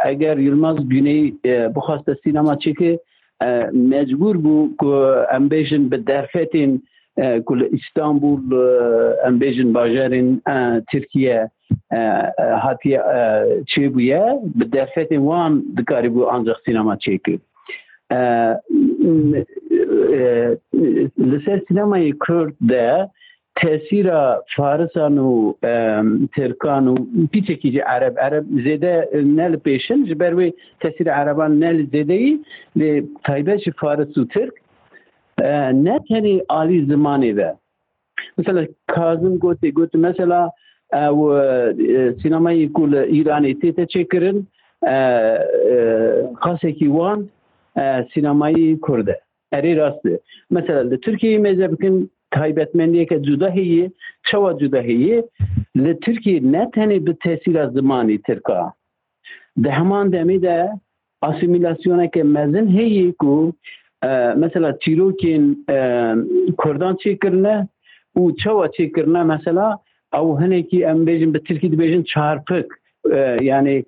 eger Yilmaz Güney, e, bixwaste sînema çêke, e, mecbûr bû ku em bêjin bi derfetên, e, ku li Îstanbul, e, em bêjin bajarên, e, Tirkiye, e, e, hatiye, e, çêbûye, bi derfetên wan dikarîbû ancaq sînema çêke. E, e, li ser sînemayê Kurd de tesîra Farisan û, e, Tirkan û pîçekî jî Ereb, Ereb zêde ne li pêşin, ji ber wê tesîra Ereban ne li zêdeyî, lê taybet ji Faris û Tirk, e, ne tenê alî zimanê ve. Mesela Kazim gotê, got, mesela, e, ew, e, sînemayê ku li Îranê tête çêkirin, e, e, qasekî wan, e, sînemayê Kurd e. Erê, rast e. Mesela li Tirkiyeyê mêze bikin, taybetmendiyeke cuda heye. Çawa cuda heye? Li Tirkiyê ne tenê bi tesîra zimanê tirka, di heman demê de asîmîlasyoneke mezin heye ku, e, mesela çîrokên, e, Kurdan çêkirine û çawa çêkirine, mesela ew hinekî, em bêjin, bi tirkî dibêjin çarpik, e, yanî,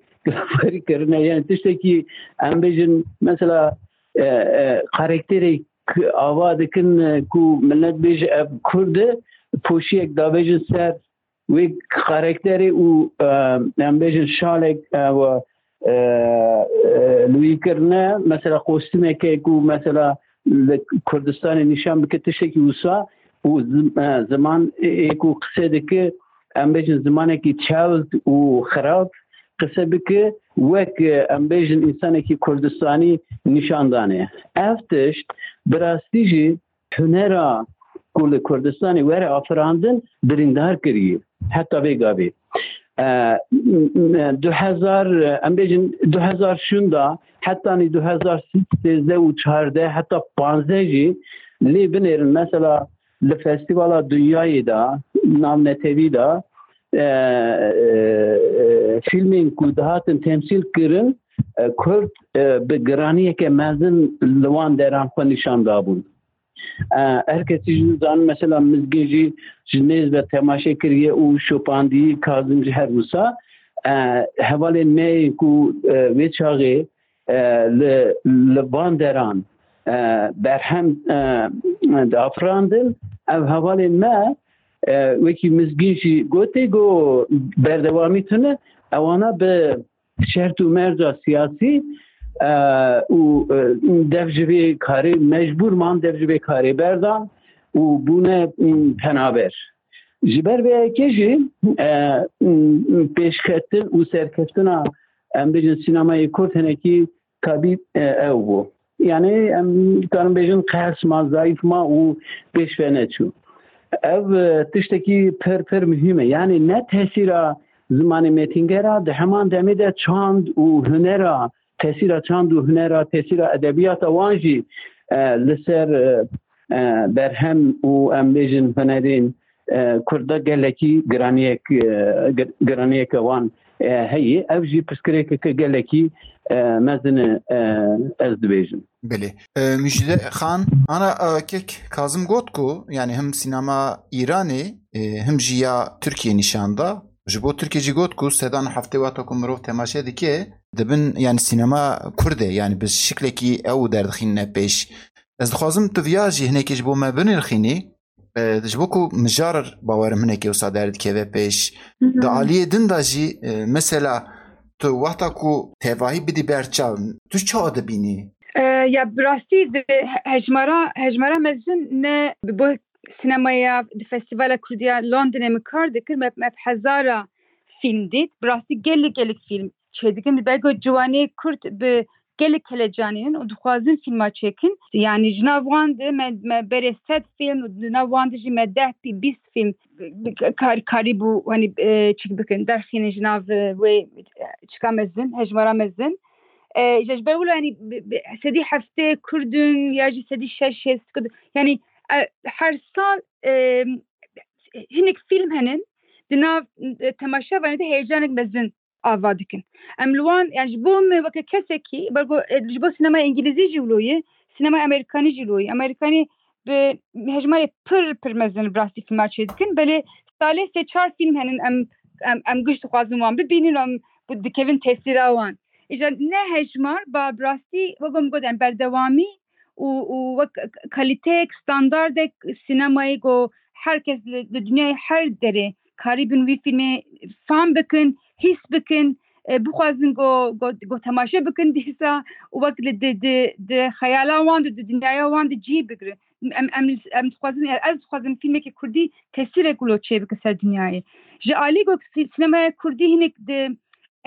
kirine, yanî tiştekî, em bêjin, mesela, e, e, karakterê k-, ava dikin, e, ku millet bêje ev Kurd e, poşiyek dabêjin ser wê karakterê û, e, em bêjin şalek, e, we, e, e, li wî kirine. Mesela kostümeke ku mesela li Kurdistanê nîşan bike tiştekî wisa û zim-, e, ziman ê ku qise dike, em bêjin zimanekî çewt û xirab qise bike, wek, e, em bêjin însanekî Kurdistanî nîşan dane. Ev tişt bi rastî jî hunera ku li Kurdistanê were afirandin birîndar kiriye. Heta vê gavê. E, m-, m-, du hezar, em bêjin du hezar şûnda, hetanî du hezar sêzdeh û çardeh heta panzdeh jî lê binêrin. Mesela li festîvala dinyayê de, navnetewî de, e, e, e, fîlmên ku dihatin temsîl kirin, e, Kurd, e, bi giraniyeke mezin li wan deran xwe nîşan dabûn. E, her kesî jî zanin, mesela Mizgîn jî ji nêz ve temaşe kiriye û şopandî, Kazim jî her wisa. E, hevalên me yên ku, e, wê çaxê e, li, li van deran, e, berhem, e, dafirandin, ev hevalên me, e, wekî Mizgîn jî gotê, got berdewamî tune, ewana bi şert û merca siyasî, e, û, e, dev ji vê karê mecbûr man, dev ji vê karê berdan û bûne, m, penaber. Ji ber vê yekê jî, e, m, pêşketin û serkeftina, em bêjin, sînemayê Kurd hinekî kabî, e, ew bû. Yani em dikarin bêjin qehs ma, zayîf ma û pêş ve neçû. Ev, e, tiştekî pir, pir muhîm e. Yani ne tesîra zimanê mêtingera, di heman demê de çand û hunera, tesîra çand û hunera, tesîra edebiyata wan jî, e, li ser, e, e, berhem û, em bêjin, hunerên, e, Kurda gelekî giraniyek, e, gir-, giraniyeke wan, e, heye. Ev jî pirsgirêkeke gelekî, e, mezin e, e, ez dibêjim. Belê. E, Müjde Xan, ana, e, kek Kazim got ku, yani, him sînema Îranê, e, him jî ya Tirkiyê nîşan da. Ji bo Tirkiyê jî got ku sedan heftê wexta ku mirov temaşe dike, dibin, yani, sînema Kurd e, yani, bi şiklekî ew derdixînine pêş. Ez dixwazim tu viya jî hinekî ji bo me binirxînî. E, ji bo ku mijar bawerim hinekî wisa derdikeve pêş. Di aliyê din de jî, e, mesela tu wexta ku tevahî bidî ber çav, tu çawa dibînî? E, ya bi rastî di he-, hejmara, hejmara mezin ne bi bo sinemaya di Festîvala Kurdî ya Londonê min kar dikir, me, me bi hezara fîlm dît. Bi rastî gelek, gelek fîlm çêdikin. Belgo ciwanê Kurd bi gelek helecanînin û dixwazin fîlma çêkin. Yani ji nav wan de me, me berê sed fîlm û di nav wan de jî me deh, bîst fîlm kar-, karîbû, hani, e, çik bikin, derxînin ji nav, e, wê, e, çika mezin, hejmara mezin. E, ji, ji ber wilo, yani, bi, bi, sedî heftê Kurd in ya jî sedî şeş hêst Kurd in. Yani, e, her sal, e, hinek fîlm henin, di nav, e, temaşevanê de heyecanek mezin ava dikin. Em li wan, yani, ji bo me weke kesekî, bergo, e, ji bo sînemaya Îngilîzî jî wilo ye, sînemaya Amerîkanî jî wilo ye. Amerîkanî bi hejmarê pir, pir mezin bi rastî fîlma çêdikin. Belê salê sê çar fîlm henin, em, em, em giş dixwazin wan bibînin, em bi-, dikevin tesîra wan. Îja ne hejmar, ba bi rastî, wek min got, em berdewamî û, û wek k-, kalîteyek, standardek sînemayê ku her kes li, li dinyayê her derê karîbin wî fîlmê fam bikin, hîs bikin, e, bixwazin ku, ku, ku temaşe bikin dîsa û wek li di, di, di xeyala wan de, di dinyaya wan de cî bigirin. Em, em, em dixwazin, ez dixwazim fîlmekî kurdî tesîrek wilo çêbike ser dinyayê. Ji alî ku sî-, sînemaya kurdî hinek di,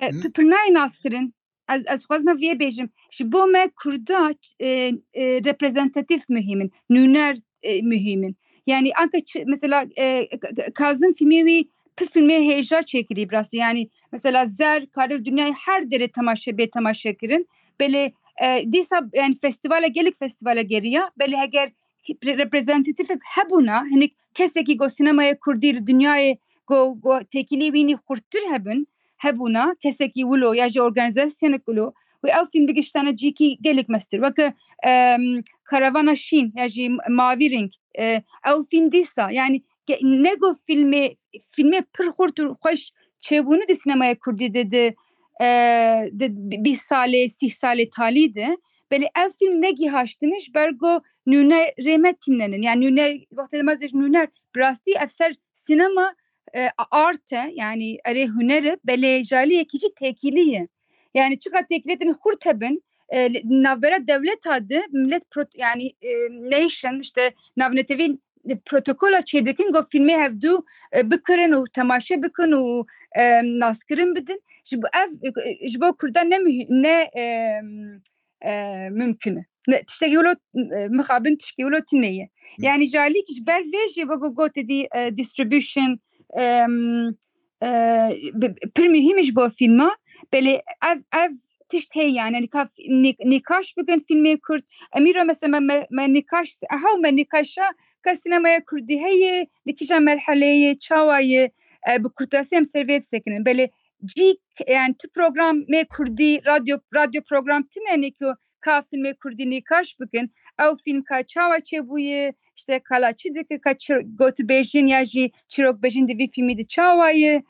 e, Hı. pi-, pir nayê naskirin. Ez, ez dixwazim vê bêjim. Ji bo me Kurda, e, e, reprezentatif muhîm in, nûner, e, muhîm in. Yani anka çi, mesela, e, K-, K-, Kazim fîlmê wî, pir fîlmê hêja çêkirî bi rastî. Yani mesela Zer, kare dinyayê her derê temaşe, bê temaşe kirin. Belê, e, dîsa, yani festîvala, gelek festîvala geriya. Belê heger re-, reprezentatif hebûna, hinek kesekî ku sînemaya kurdî li dinyayê ku, ku têkilî wînî xurttir hebin, hebûna, kesekî wilo ya jî organîzasyonek wilo, wê ew fîlm bigiştane cîkî gelek mestir. Weke, em, Karavana Şîn ya jî Mavî Reng, e, ew fîlm dîsa, yani ke-, ne ku fîlmê, fîlmê pir xurt û xweş çêbûne di sînemaya kurdî de, di, e, di bîst salê, sîh salê talî de, belê ev fîlm negihaştine ji ber ku nûnerê me tînenin. Yani nûner, wextê me dibêjin nûner, bi rastî ev ser sînema, e, art e, yani erê huner e, belê ji aliyekî jî têkilî ye. Yani çiqa têkiliyetên xurt hebin, e, li navbera dewleta de millet prot-, yani, e, nation, işte navnetewî protokola çêdikin, ku fîlmê hevdû, e, bikirin û temaşe bikin û, e, naskirin bidin. Ji bo ev, e, ji bo Kurdan ne muhî-, ne, e, e, mumkin e. Ne, tiştekî wilo, e, mixabin tiştekî wilo tune ye. Hı. Yani ji alî ji ber vê jî wek gotê dî, e, distribution, em, e, bi-, pir muhîm e ji bo fîlma. Belê ev, ev tişt heye yani. Yani ka nî-, nîkaş bikin fîlmê Kurd. Em îro mesela me, me, me nîkaş, eha me nîkaşa ka sînemaya Kurdî heye, li kîja merheleyê, çawa ye, e, bi kurtasî em ser vê disekinin. Belê cîk, yani tu programê Kurdî, radyo, radyo program tune ne ku ka fîlmê Kurdî nîkaş bikin. Ew fîlm ka çawa çêbûye, işte ka la çi dike, ka çi gotibêjin ya jî çîrokbêjin di vî fîlmî de çawa ye.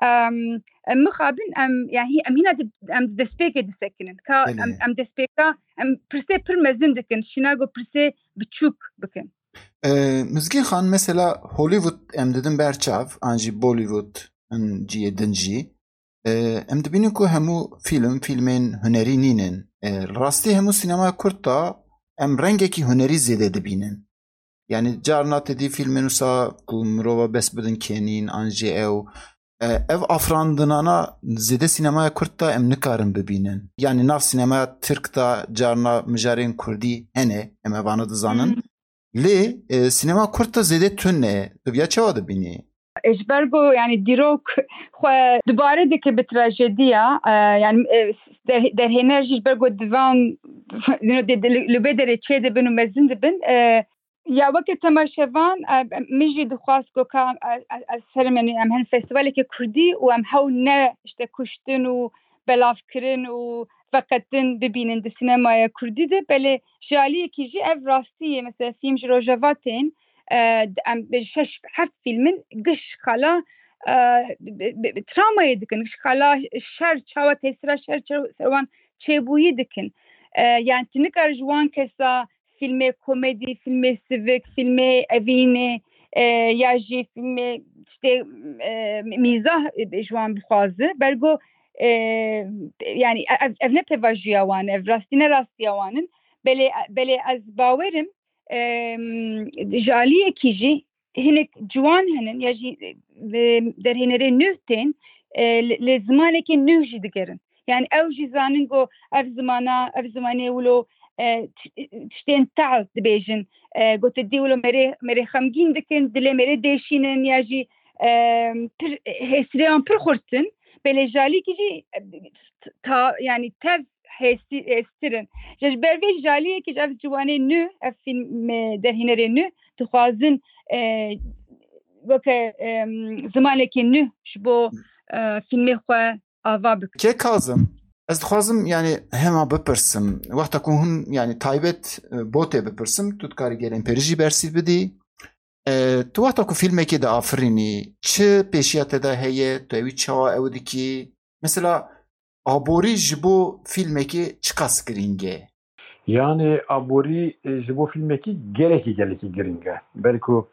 Em, Em mixabin em, yani hî-, em hîna di, em di destpêkê disekinin. Ka Belê. em, em destpêka, em pirsê pir mezin dikin, şîna go pirsê biçûk bikin. E, Mizgîn Xan, mesela Hollywood em didin ber çav, an jî Bollywood, in ciyê din jî. E, em dibînin ku hemû fîlm, fîlmên hunerî nînin. E, rastî hemû sînemaya Kurd de em rengekî hunerî zêde dibînin. Yani carna te dî fîlmên wisa ku mirova bes bidin kenîn, an jî ew, e, ev afirandinana zêde sînemaya Kurd de em nikarin bibînin. Yani nav sînemaya Tirk de carna mijarên Kurdî hene, em evana dizanin. Hmm. Lê, e, sînema Kurd de zêde tune. Tu viya çawa dibînî? E, ji ber ku, yani, dîrok xwe dubare dike bi trajediya, e, yani, e, der-, derhêner jî ji ber ku divan, you know, de, de, li, li bê derê çê dibin û mezin dibin. E, ya weke temaşevan, e, min jî dixwast ku ka, e, e, ez herim, yani, em hin festîvaleke Kurdî û em hew ne, işte, kuştin û belavkirin û veqetin bibînin di sînemaya Kurdî de. Belê ji aliyekî jî ev rastî ye. Mesela fîlm ji Rojava tên, e, em bi şeş heft fîlmin giş xala, e, bi, bi, bi travmayê dikin. Giş xala şer, çawa tesîra şer çawa ser wan çêbûyî dikin. E, yani tu nikare ji wan kesa fîlmê komedî, fîlmê sivik, fîlmê evînê, e, ya jî fîlmê işte, e, mîzah, e, ji wan bixwaze. Bergo, e, yani ev, ev ne pêvajoya wan e, ev rastî ne rastiya wan in. Belê, belê ez bawerim, e, ji aliyekî jî hinek ciwan hene ya jî, e, derhênerê nû tên, e, li, li zimanekê nû jî digerin. Yani ew jî zanin ku ev zimana, ev zimanê wilo, e, tiş-, tiştên tehl dibêjin. E, ku tu dî wilo mêrê, mêrê xemgîn dikin, dilê mêrê dêşînin ya jî, e, pir, hêsirê wan pir xurt in. Belê ji aliyekî jî, e, ta, yani tev hêsî-, hêstir in. Ji ber vê ji aliyekî jî ev ciwanê nû, ev fîlm, e, derhênerê nû dixwazin, e, weke, e, zimanekî nû ji bo, e, fîlmê xwe ava bikin. Kê Kazim, ez dixwazim, yani, hema bipirsim. Wexta ku hûn, yani, taybet, e, bo tê bipirsim, tu dikarî gelên pêrî jî bersîv bidî. E, tu wexta ku fîlmekê diafirînî, çi pêşiya te de heye, tu ewî çawa ew dikî? Mesela, aborî ji bo fîlmekê çiqas girîng e? Yani aborî, e, ji bo fîlmekî gelekî, gelekî girîng e. Belku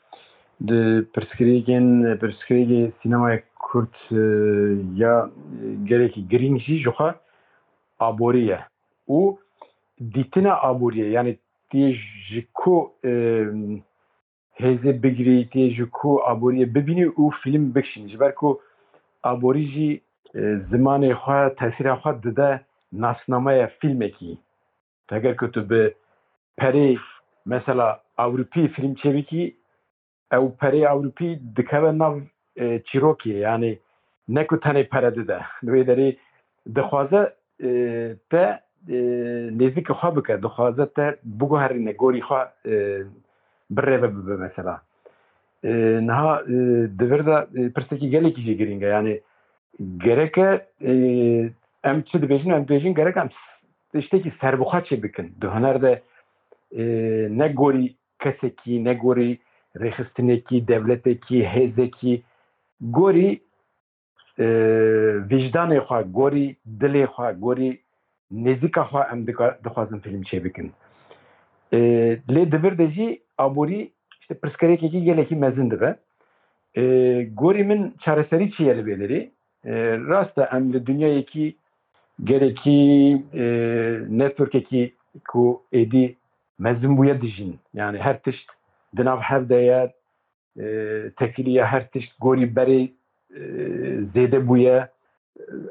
di pirsgirêkên, pirsgirêkê sînemaya Kurd, e, ya, e, gelekî girîng jî ji xwe aborî ye. Û dîtina aboriyê, yani tê ji ku, e, hêzê bigirî, tê ji ku aboriyê bibînî û fîlm bikişînî. Ji ber ku aborî jî, e, zimanê xwe, tesîra xwe dide nasnameya fîlmekî. Heger ku tu bi perê, mesela, Ewropî fîlm çêbikî, ew perê Ewropî dikeve nav, e, çîrokê, yani ne ku tenê pere dide. Li wê derê dixwaze, e, te, e, nêzîkî xwe bike, dixwaze te biguherîne, gorî xwe, e, birêve bibe mesela. E, niha, e, di vir de, e, pirsekî gelekî jî girîng e. Yani gereke, e, em çi dibêjin, em dibêjin gerek em tiştekî serbixwe çê bikin. Di huner de, e, ne gorî kesekî, ne gorî rêxistinekî, dewletekî, hêzekî, gorî, e, vîjdanê xwe, gorî dilê xwe, gorî nêzîka xwe em dika-, dixwazin fîlm çêbikin. E, lê di vir de jî aborî, işte, pirsgirêkekî gelekî mezin dibe. E, gorî min çareserî çi ye li vê derê? E, rast e, em li dinyayekî gelekî, e, networkekî ku êdî mezin bûye dijîn. Yani her tişt di nav hev de ye, e, tefîlî ye, her tişt gorî berê, e, zêde bûye.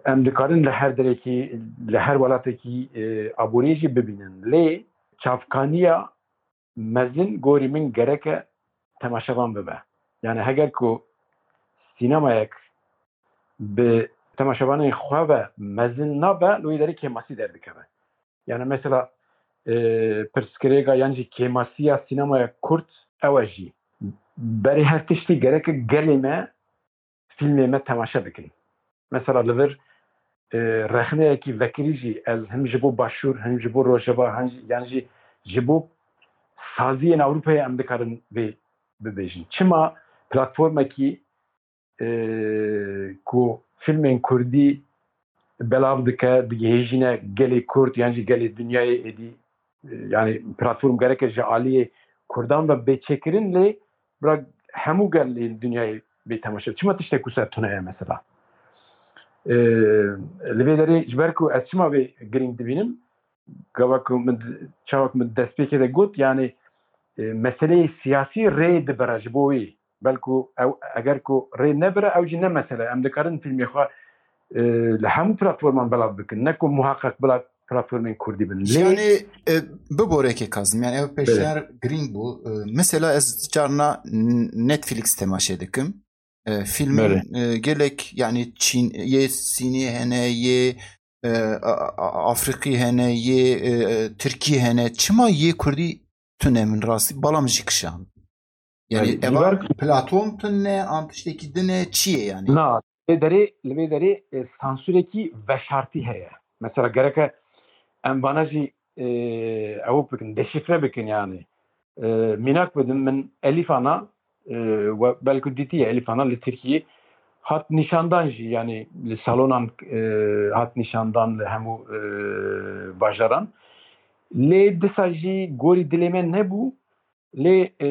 Em dikarin li her derekî, li her welatekî, e, aboriyê jî bibînin. Lê çavkaniya mezin gorî min gereke temaşevan bibe. Yani heger ku sînemayek bi temaşevanên xwe ve mezin nabe, li wê derê kêmasî derdikeve. Yani mesela, e, pirsgirêka yan jî kêmasiya sînemaya Kurd ew e jî. Berê her tiştî gereke gelê me fîlmê me temaşe bikin. Mesela li vir, e, rexneyekî vekirî jî ez him ji bo Başûr, him ji bo Rojava, him jî, yan jî ji bo saziyên Ewropayê em dikarin vê bibêjin. Çima platformekî, e, ku filmên kurdî belav dike, digihêjîne gelê kurd yan jî gelê dinyayê êdî. E, yani platform gereke ji aliyê kurdan ve bê çêkirin, lê bira hemû gelê dinyayê bê temaşe. Çima tiştek wisa tune ye mesela? E, li vê derê ji ber ku ez çima vê girîng dibînim, gava ku min, çawa ku min destpêkê de got, yani, e, meseleyê siyasî rê dibire ji bo wî. Belku ew, eger ku rê nebire, ew jî ne mesele. Em dikarin filmê xwe, e, li hemû platforman belav bikin. Ne ku muhaqqeq bila platformên kurdî bin. Lê Yani e, biboreke Kazim, yani ev pêşniyar girîng bû. E, mesela ez carna N- Netflix temaşe dikim. E, filmên Belê. e, gelek yani Çîn, yê Sînê hene, yê e, A- A- Afrikî hene, yê e, e, Tirkî hene. Çima yê Kurdî tune min rastî, balam jî kişan. Yani Yani, eva ji ber- platform tune, an tiştekî din e, çi ye yani? Na, li vê derê, li vê derê, e, sansurekî veşartî heye. Mesela gereke em vana jî, e, ew bikin, deşifre bikin yani. E, mînak bidim, min Elîf Ana, e, we belku dîtiye, Elîf Ana li Tirkiyê hat nîşandan jî, yani li salonan, e, hat nîşandan li hemû, e, bajaran. Lê disa jî gorî dilê me nebû. Lê, e,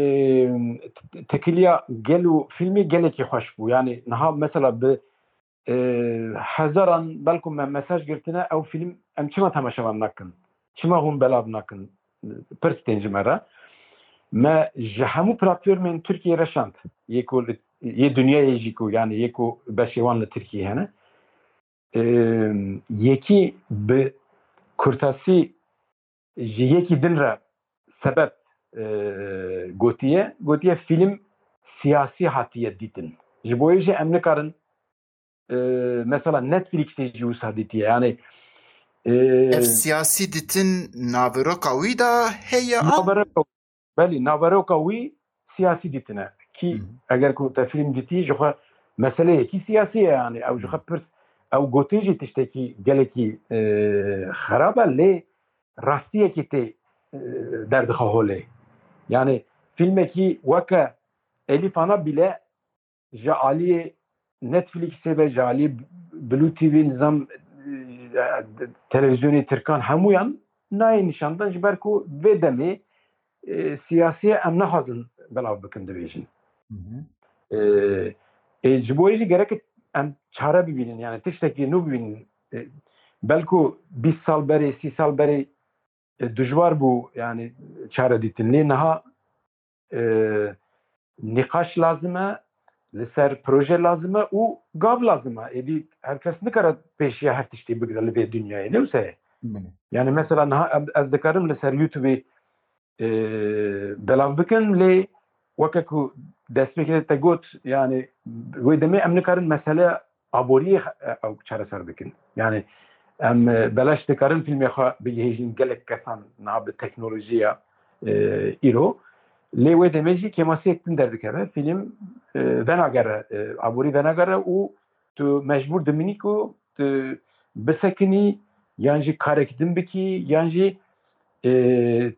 t- tekiliya gel û filmê gelekî xweş bû. Yani niha mesela bi, e, hezaran belku me mesaj girtine, ew film em çima temaşevan nakin? Çima hûn belav nakin? Pirs tên ji me re. Me ji hemû platformên Tirkiyê re şand. Yê ku li, yê dinyayê jî ku, yani yê ku beşê wan li Tirkiyê hene. E, yekî bi kurtasî ji yekî din re sebeb, e, gotiye. Gotiye film siyasî hatiye dîtin. Ji bo yê jî em nikarin, e, mesela Netflixê jî wisa dîtiye. Yani, e, Ev siyasî ditin naveroka wî de heye an? Naveroka, belî, naveroka wî siyasî dîtine. Kî Hı hı. eger ku te film dîtî, ji xwe meseleyekî siyasî ye, yani ew ji xwe pirs, ew gotin jî tiştekî gelekî, e, xerab e, lê rastiyekî tê, e, derdixe holê. Yani filmekî weke Elîf Ana bîle ji aliyê Netflixê ve, ji aliyê Blue T V, nizam, e, televîzyonê Tirkan, hemûyan nayê nîşandan, ji ber ku vê demê, e, siyasiyê em naxwazin belav bikin, dibêjin. Hı hı. E, e, ji bo yê jî gerek em çare bibînin, yani tiştekî nû bibînin. E, belku bîst sal berê, sî sal berê, e, dijwar bû, yani çare dîtin. Lê niha, e, nîqaş lazim e, li ser proje lazim e û gav lazim e. Êdî her kes nikare pêşiya her tiştî bigire li vê dinyayê. Ne wisa ye? Belê. Yani mesela niha em, ez dikarim li ser YouTubeê, e, belav bikin, lê weke ku destpêkê te got, yani wê demê em nikarin mesele aboriyê, e, ew çareser bikin. Yani em, e, belaş dikarin filmê xwe bigihêjin gelek kesan niha bi teknolojiya, e, îro. Lê wê demê jî kêmasiyek din derdikeve. Film, e, venagere, e, aborî venagere û tu mecbûr dimînî ku tu bisekinî, yan jî karek din bikî, yan jî, e,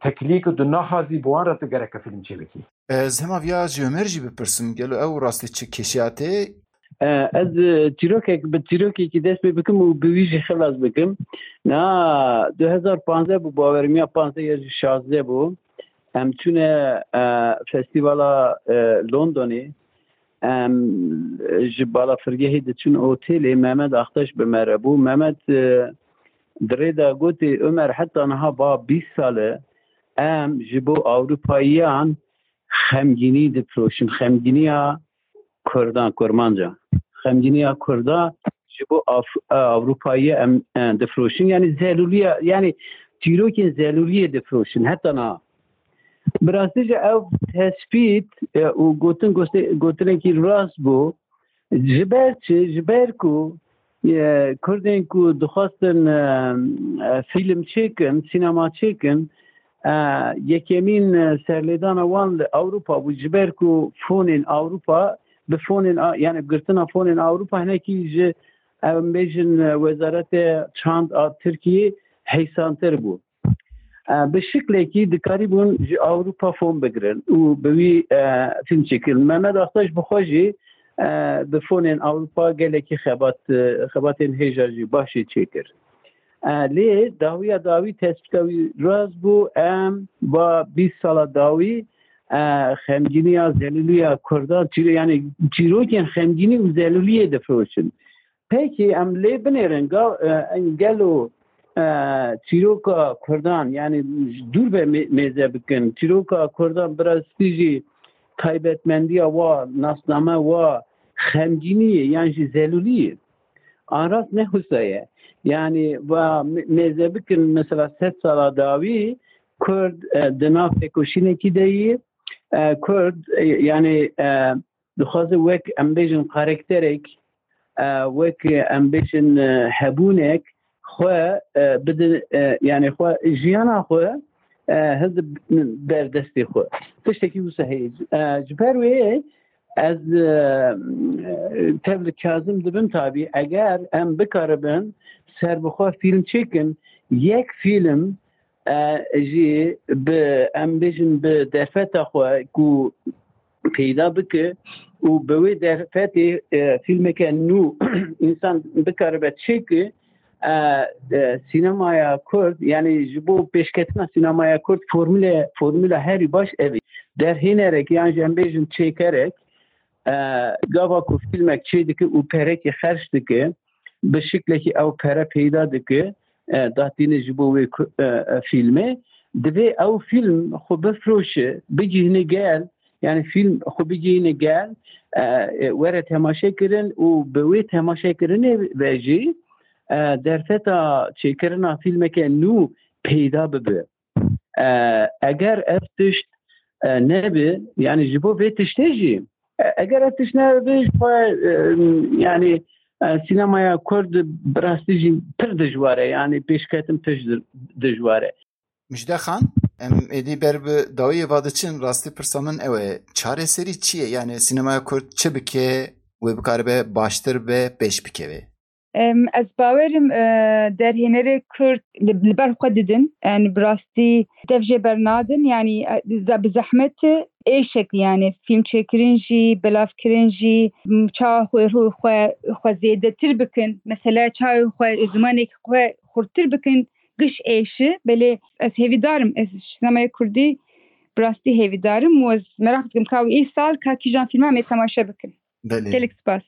tekiliyê ku tu naxwazî, bi wan re tu gereke film çêbikî. Ez hema viya ji Ömer jî bipirsim, gelo ew rastî çi kêşiya tê? E, ez, e, çîrokek, bi çîrokekî dest pê bikim û bi wî jî xilas bikim. Niha du hezar panzdeh bû, bawerim ya panzdeh ya jî şazdeh bû. Em çûne, e, festîvala, e, Londonê. Em ji balafirgehê diçûn otelê, Mehmet Aktaş bi me re bû. Mehmet, e, di rê de gotê, Ömer, heta niha ba bîst sal e em ji bo Ewropayiyan xemgînî difiroşin, xemgîniya Kurdan, Kurmanca. Xemgîniya Kurda ji bo Af-, Ewropayiya em, e, difiroşin. Yani zelûliya, yani çîrokên zelûliyê difiroşin heta niha. Bi rastî jî ev tespît, e, û gotin, goste-, gotinekî rast bû. Ji ber çi? Ji ber ku, e, Kurdên ku dixwestin, e, e, fîlm çêkin, sînema çêkin, e, yekemîn, e, serlêdana wan li Ewropa bû. Ji ber ku fonên Ewropa, bi fonên a-, yani girtina fonên Ewropa hinekî ji, em bêjin, e, wezarete çand a Tirkiyê heysantir bû. E, bi şiklekî dikarîbûn ji Ewropa fon bigirin û bi wî, e, fîlm çêkirin. Mehmet Aktaş bi xwe jî e, bi fonên Ewropa gelekî xebat, e, xebatên hêja jî baş jî çêkir. E, lê dawiya dawî tespîta wî rast bû, em va bîst sala dawî, e, xemgîniya, zelûliya Kurdan, çîro-, yani çîrokên xemgînî û zelûliyê difiroşin. Pekî em lê binêrin, ga-, e, gelo, e, çîroka Kurdan, yani dûr ve mê-, mêze bikin. Çîroka Kurdan bi rastî jî taybetmendiya wa, nasname wa xemgînî ye, yan jî zelûlî ye. An rast ne wisa ye. Yani va mê-, mêze bikin, mesela sed sala dawî Kurd, e, di nav têkoşînekî de yî, e, Kurd, e, yani, e, dixwaze wek, em bêjin, karakterek, e, wek, em bêjin, e, hebûnek xwe, e, bidin, e, yani xwe, jiyana xwe, e, hildibin ber destê xwe. Tiştekî wisa heye. E, ji ber wê ez, e, tev li Kazim dibim tabî, eger em bikaribin serbixwe fîlm çêkin, yek fîlm, e, jî bi, em bêjin, bi derfeta xwe ku peyda bike û bi wê derfetê, e, fîlmeke nû însan bikaribe çêke, e, e, sînemaya Kurd, yani ji bo pêşketina sînemaya Kurd formule, formula herî baş ev e. Derhênerek yan jî em bêjin çêkerek, e, gava ku fîlmek çê dike û perekî xerc dike, bi şiklekî ew pere peyda dike, e, datîne ji bo wê ku-, e, e, fîlmê. Divê ew fîlm xwe bifroşe, bigihîne gel, yani fîlm xwe bigihîne gel, e, e, were temaşe kirin û bi wê temaşe kirinê ve jî, e, derfeta çêkirina fîlmeke nû peyda bibe. E, eger ev tişt, e, nebe, yani ji bo vê tiştê jî, e, eger ev tişt nebe, ji xwe, e, yani, e, sînemaya Kurd bi rastî jî pir dijwar e, yani pêşketin pir di-, dijwar e. Mijde Xan, em êdî ber bi dawiyê ve diçin, rastî pirsa min ew e, çareserî çi ye? Yani sînemaya Kurd çi bike, wê bikaribe baştir be pêş bikeve? Em, ez bawerim, e, derhênerê Kurd li, li ber xwe didin. Yani bi rastî dev jê bernadin. Yani, e, ze-, bi zehmet êşek, yani fîlm çêkirin jî, belavkirin jî, m, çawa xwe, xwe, xwe zêdetir bikin. Mesela çawa xwe zimanê xwe xurttir bikin. Giş êşi. Belê ez hêvîdarim. Ez sinemaya Kurdî bi rastî hêvîdarim. Û ez meraq dikim ka wî îsal ka kîjan fîlman em ê temaşe bikin. Belê. Gelek spas.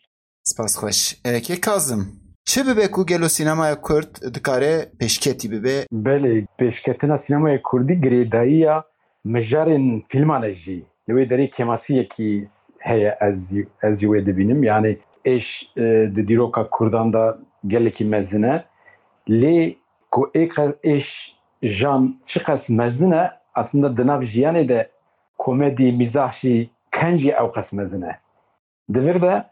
Spas xweş. E, kê Kazim, çi bibe ku gelo sînemaya Kurd dikare pêşketî bibe? Belê, pêşketina sînemaya Kurdî girêdayiya mijarên fîlman e jî. Li wê derê kêmasiyekî heye, ez jî, ez jî wê dibînim. Yani êş, e, di dîroka Kurdan de gelekî mezin e. Lê ku ê qe-, êş jan çiqas mezin e, aslında di nav jiyanê de komedî, mîzah jî, kencî ew qas mezin e. Di vir de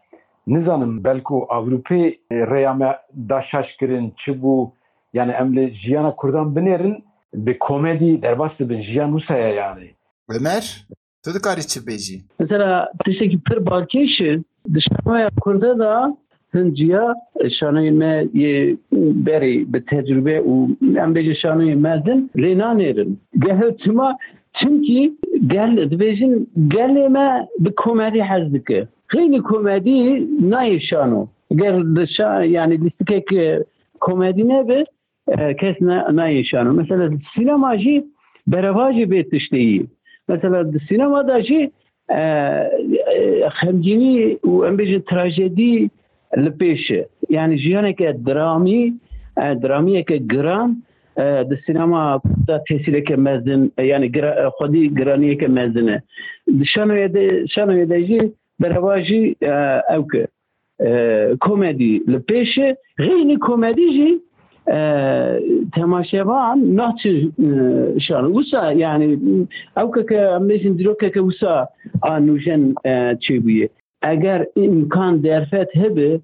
nizanim, belku Ewropê rêya me da şaş kirin, çi bû, yani em li jiyana Kurdan binêrin, bi komedî derbas dibin, jiyan wisa ye yani. Ömer, tu dikarî çi bêjî? Mesela tiştekî pir balkêş e, di şanoya Kurda da hin ciya şanoyên me yê berê bi tecrube û em bêjin şanoyên mezin lê nanêrin. Gelo çima? Çimkî gel, dibêjin gelê me bi komedî hez dike. Xeynî komedî nayê şano. Ger di şa-, yani lîstikek, e, komedî nebe, e, kes na-, nayê şano. Mesela sînema jî berevajê vê tiştê yî. Mesela di sînema de jî, e, e, xemgînî û em bêjin trajedî li pêş e. Yani jiyaneke dramî, e, dramiyeke giran, e, di sînema de tesîreke mezin, e, yani gira-, e, xwedî giraniyeke mezin e. Di şanoyê de, şanoyê de jî berevajî, e, ew ke, e, komedî li pêş e, xeynî komedî jî, e, temaşevan naçe, e, şano. Wisa yani ew ke, ke em bêjin dîrokeke wisa a nûjen, e, çêbûye. Eger îmkan derfet hebe,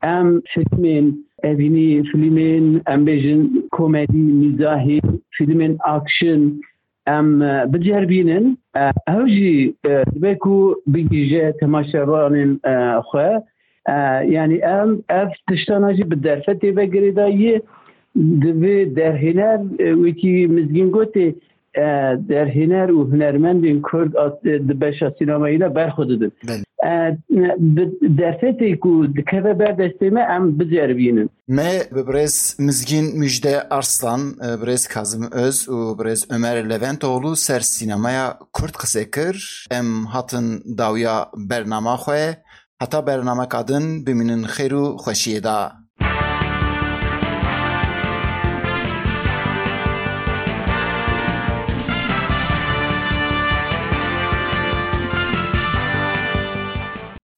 em fîlmên evînî, fîlmên, em bêjin, komedî, mîzahî, fîlmên action, em, e, biceribînin. E, ew jî, e, dibe ku bigihîje temaşevanên, e, xwe. E, yani em ev tiştana jî bi derfetê ve girêdayî ye. Divê derhêner, e, wekî Mizgîn gotê, e, derhêner û hunermendên Kurd at-, di beşa sînemayî de ber xwe didin. Belê. E, bi derfetê ku dikeve ber destê me, em biceribînin. Me bi birêz Mizgîn Müjde Arslan, e, birêz Kazım Öz û birêz Ömer Leventoğlu ser sînemaya Kurd qise kir. Em hatin dawiya bernama xwe. Heta bernameka din bimînin xêr û xweşiyê de.